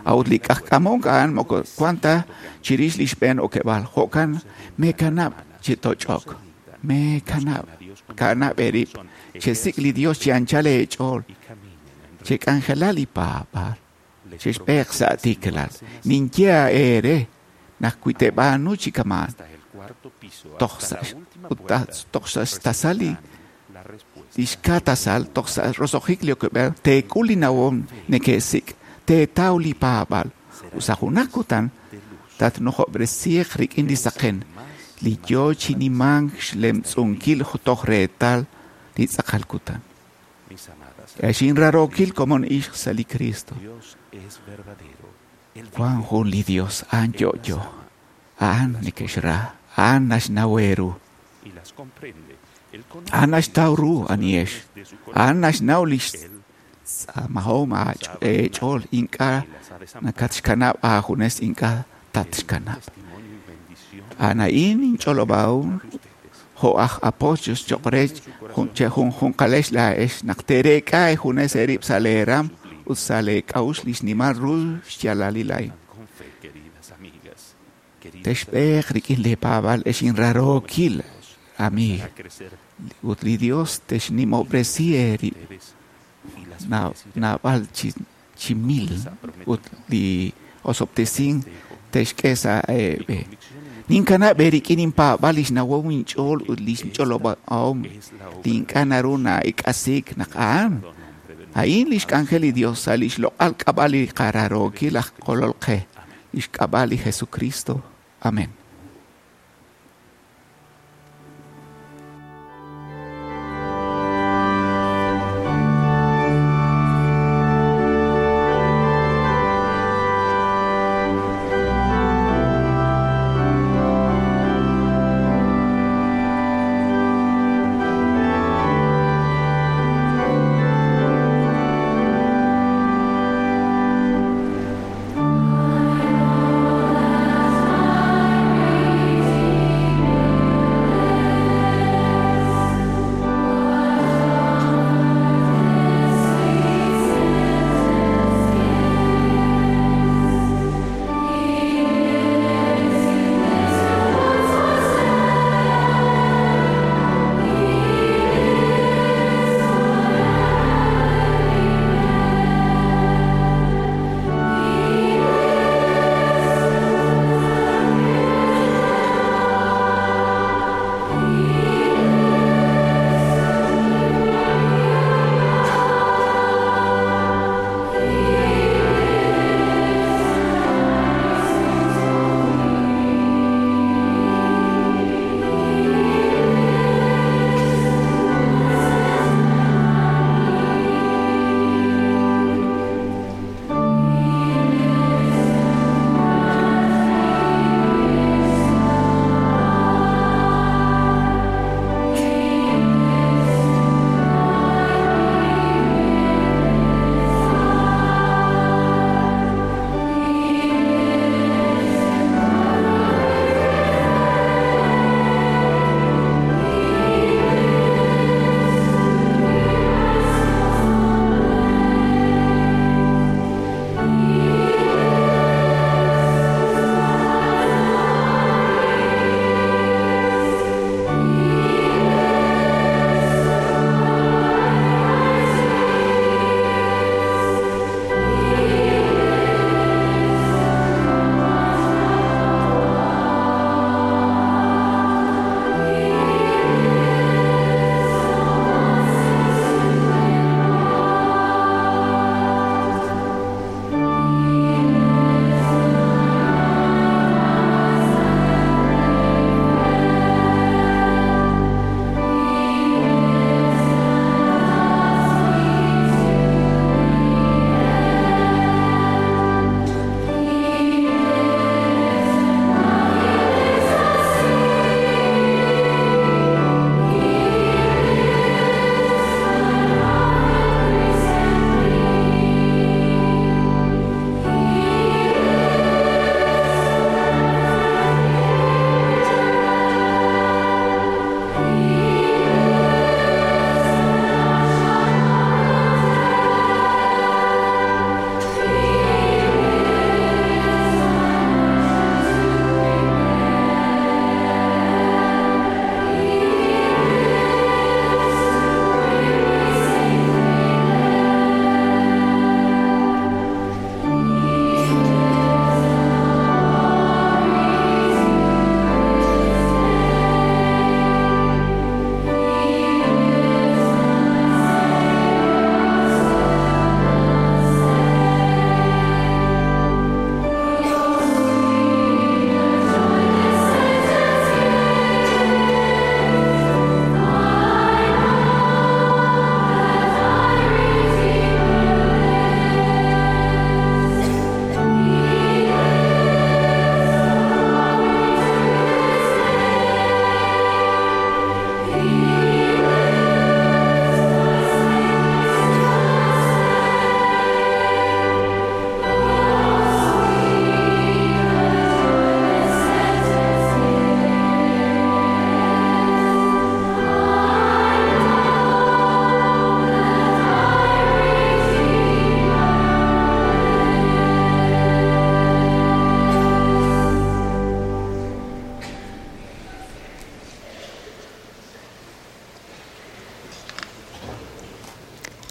K: a'ut li k'ajk'amok a'an moko wan ta chirix li xb'een okeb'aal. Jo'kan meekanab' chi toch'ok, meekanab' kanab' eerib', chesik' li Dios chi anchal eech'ool, chek'anjela li paab'aal, chexb'eeq sa' tiikilal. Ninye eere naq wi teeb'aanu chi kama'an, toj sa' xtasal li xkaa tasal, toj sa' roso'jik li okeb'aal, teek'ul li nawom neke'sik', teetaw li paab'aal. Ut sa' junaq kutan tatnujob'resiiq rik'in li saqen, li yoo chi nimank xlemtz'unkil toj reetal li tz'aqal kutan. Xinrarookil komon ixq sa' li Cristo. Wan jun li Dios, a'an yo'yo, a'an neke'xra, a'an naxnaw eeru, a'an naxtaw ru anihex, a'an naxnaw lix tz'aamahom eech'ool, ink'a' nakatxkanab' aajunes, ink'a' tatxkanab'. A'an a'in inch'olob'ahom jo' aj apóstoles cho'q re chejunjunqalex laa'ex naq teereek'a eejunes eerib' sa' leeram ut sa' leek'a'uxl li xnimal ru xyaalalil a'in. Texb'eeq rik'in leepaab'aal ex inrarookil amiig ut li Dios texnimob'resi eerib' naab'al chi mil ut li osob'tesink texk'e sa' eeb'e. Ninkanab' eerik'in inpaab'aal li xnawom inch'ool ut li xch'olob'ahom li ink'a' naru na'ek'asiik naq a'an. A'in li xk'anjel li Dios sa' li xloq'al k'ab'a' li qararookil aj Kolol qe, li xk'ab'a' li Jesucristo. Amén.
G: I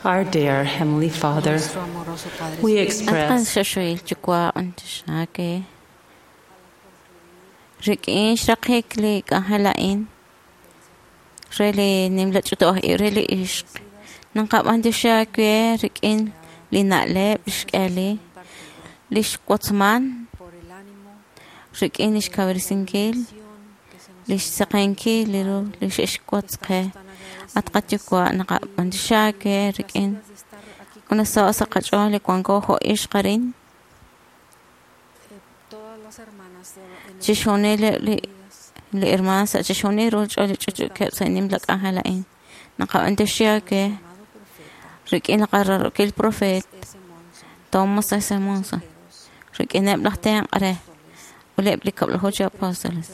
G: Our dear Heavenly Father, we express
F: xoxohil yuwa' anchixake rik'in xraqik li k'anjel a'in re li nimla ch'utub'aj ib' re li ixq naqab'antioxi aawe rik'in li na'leb' li xk'ehali li xwotzman rik'in li xkawresinkil li xsaqenkil li ru li xe'xwotz qe at qayuwa' naqab'antioxi aawe rik'in unasaho' sa' qach'ool li wanko jo' ixq arin chixjunileb' li hermaan sa' chixjunil ruuch'ool li ch'utch'uukeb' sa' nimla k'anjel a'in naqab'antioxi aawe rik'in li qararokil profeet Thomas S. Monson rik'ineb' laj tenq' re ut eb' li kab'laju chi apóstoles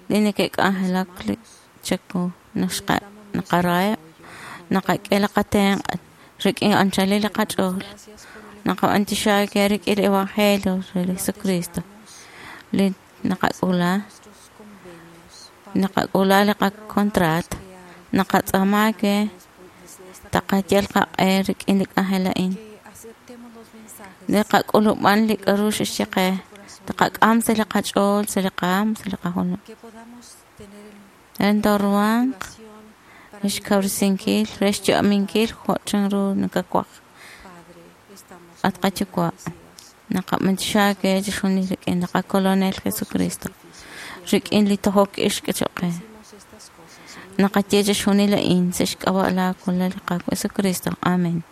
F: li neke'k'anjelak li chaku naqaraheb' naqak'e li qatenq' rik'in anchalil li qach'ool naqab'antioxi aawe rik'in li evangelio re li Jesucristo li naqak'ula naqak'ula li qakontraat naqatz'aama aawe taqayal qaq'e rik'in li k'anjel a'in li qak'ulub'an li k'a'ru xe'xye qe taqak'am sa' li qach'ool sa' li qaam sa' li qajolom re tooruhanq re xkawresinkil re xyu'aminkil jo' chanru nakawaj at qayuwa' naqab'antioxi aawe chixjunil rik'in li qakolonel Jesucristo rik'in li tojok ix choq' qe naqaye chixjunil a'in sa' xk'ab'a' laa Kolonel li Qaawa' Jesucristo. Amen.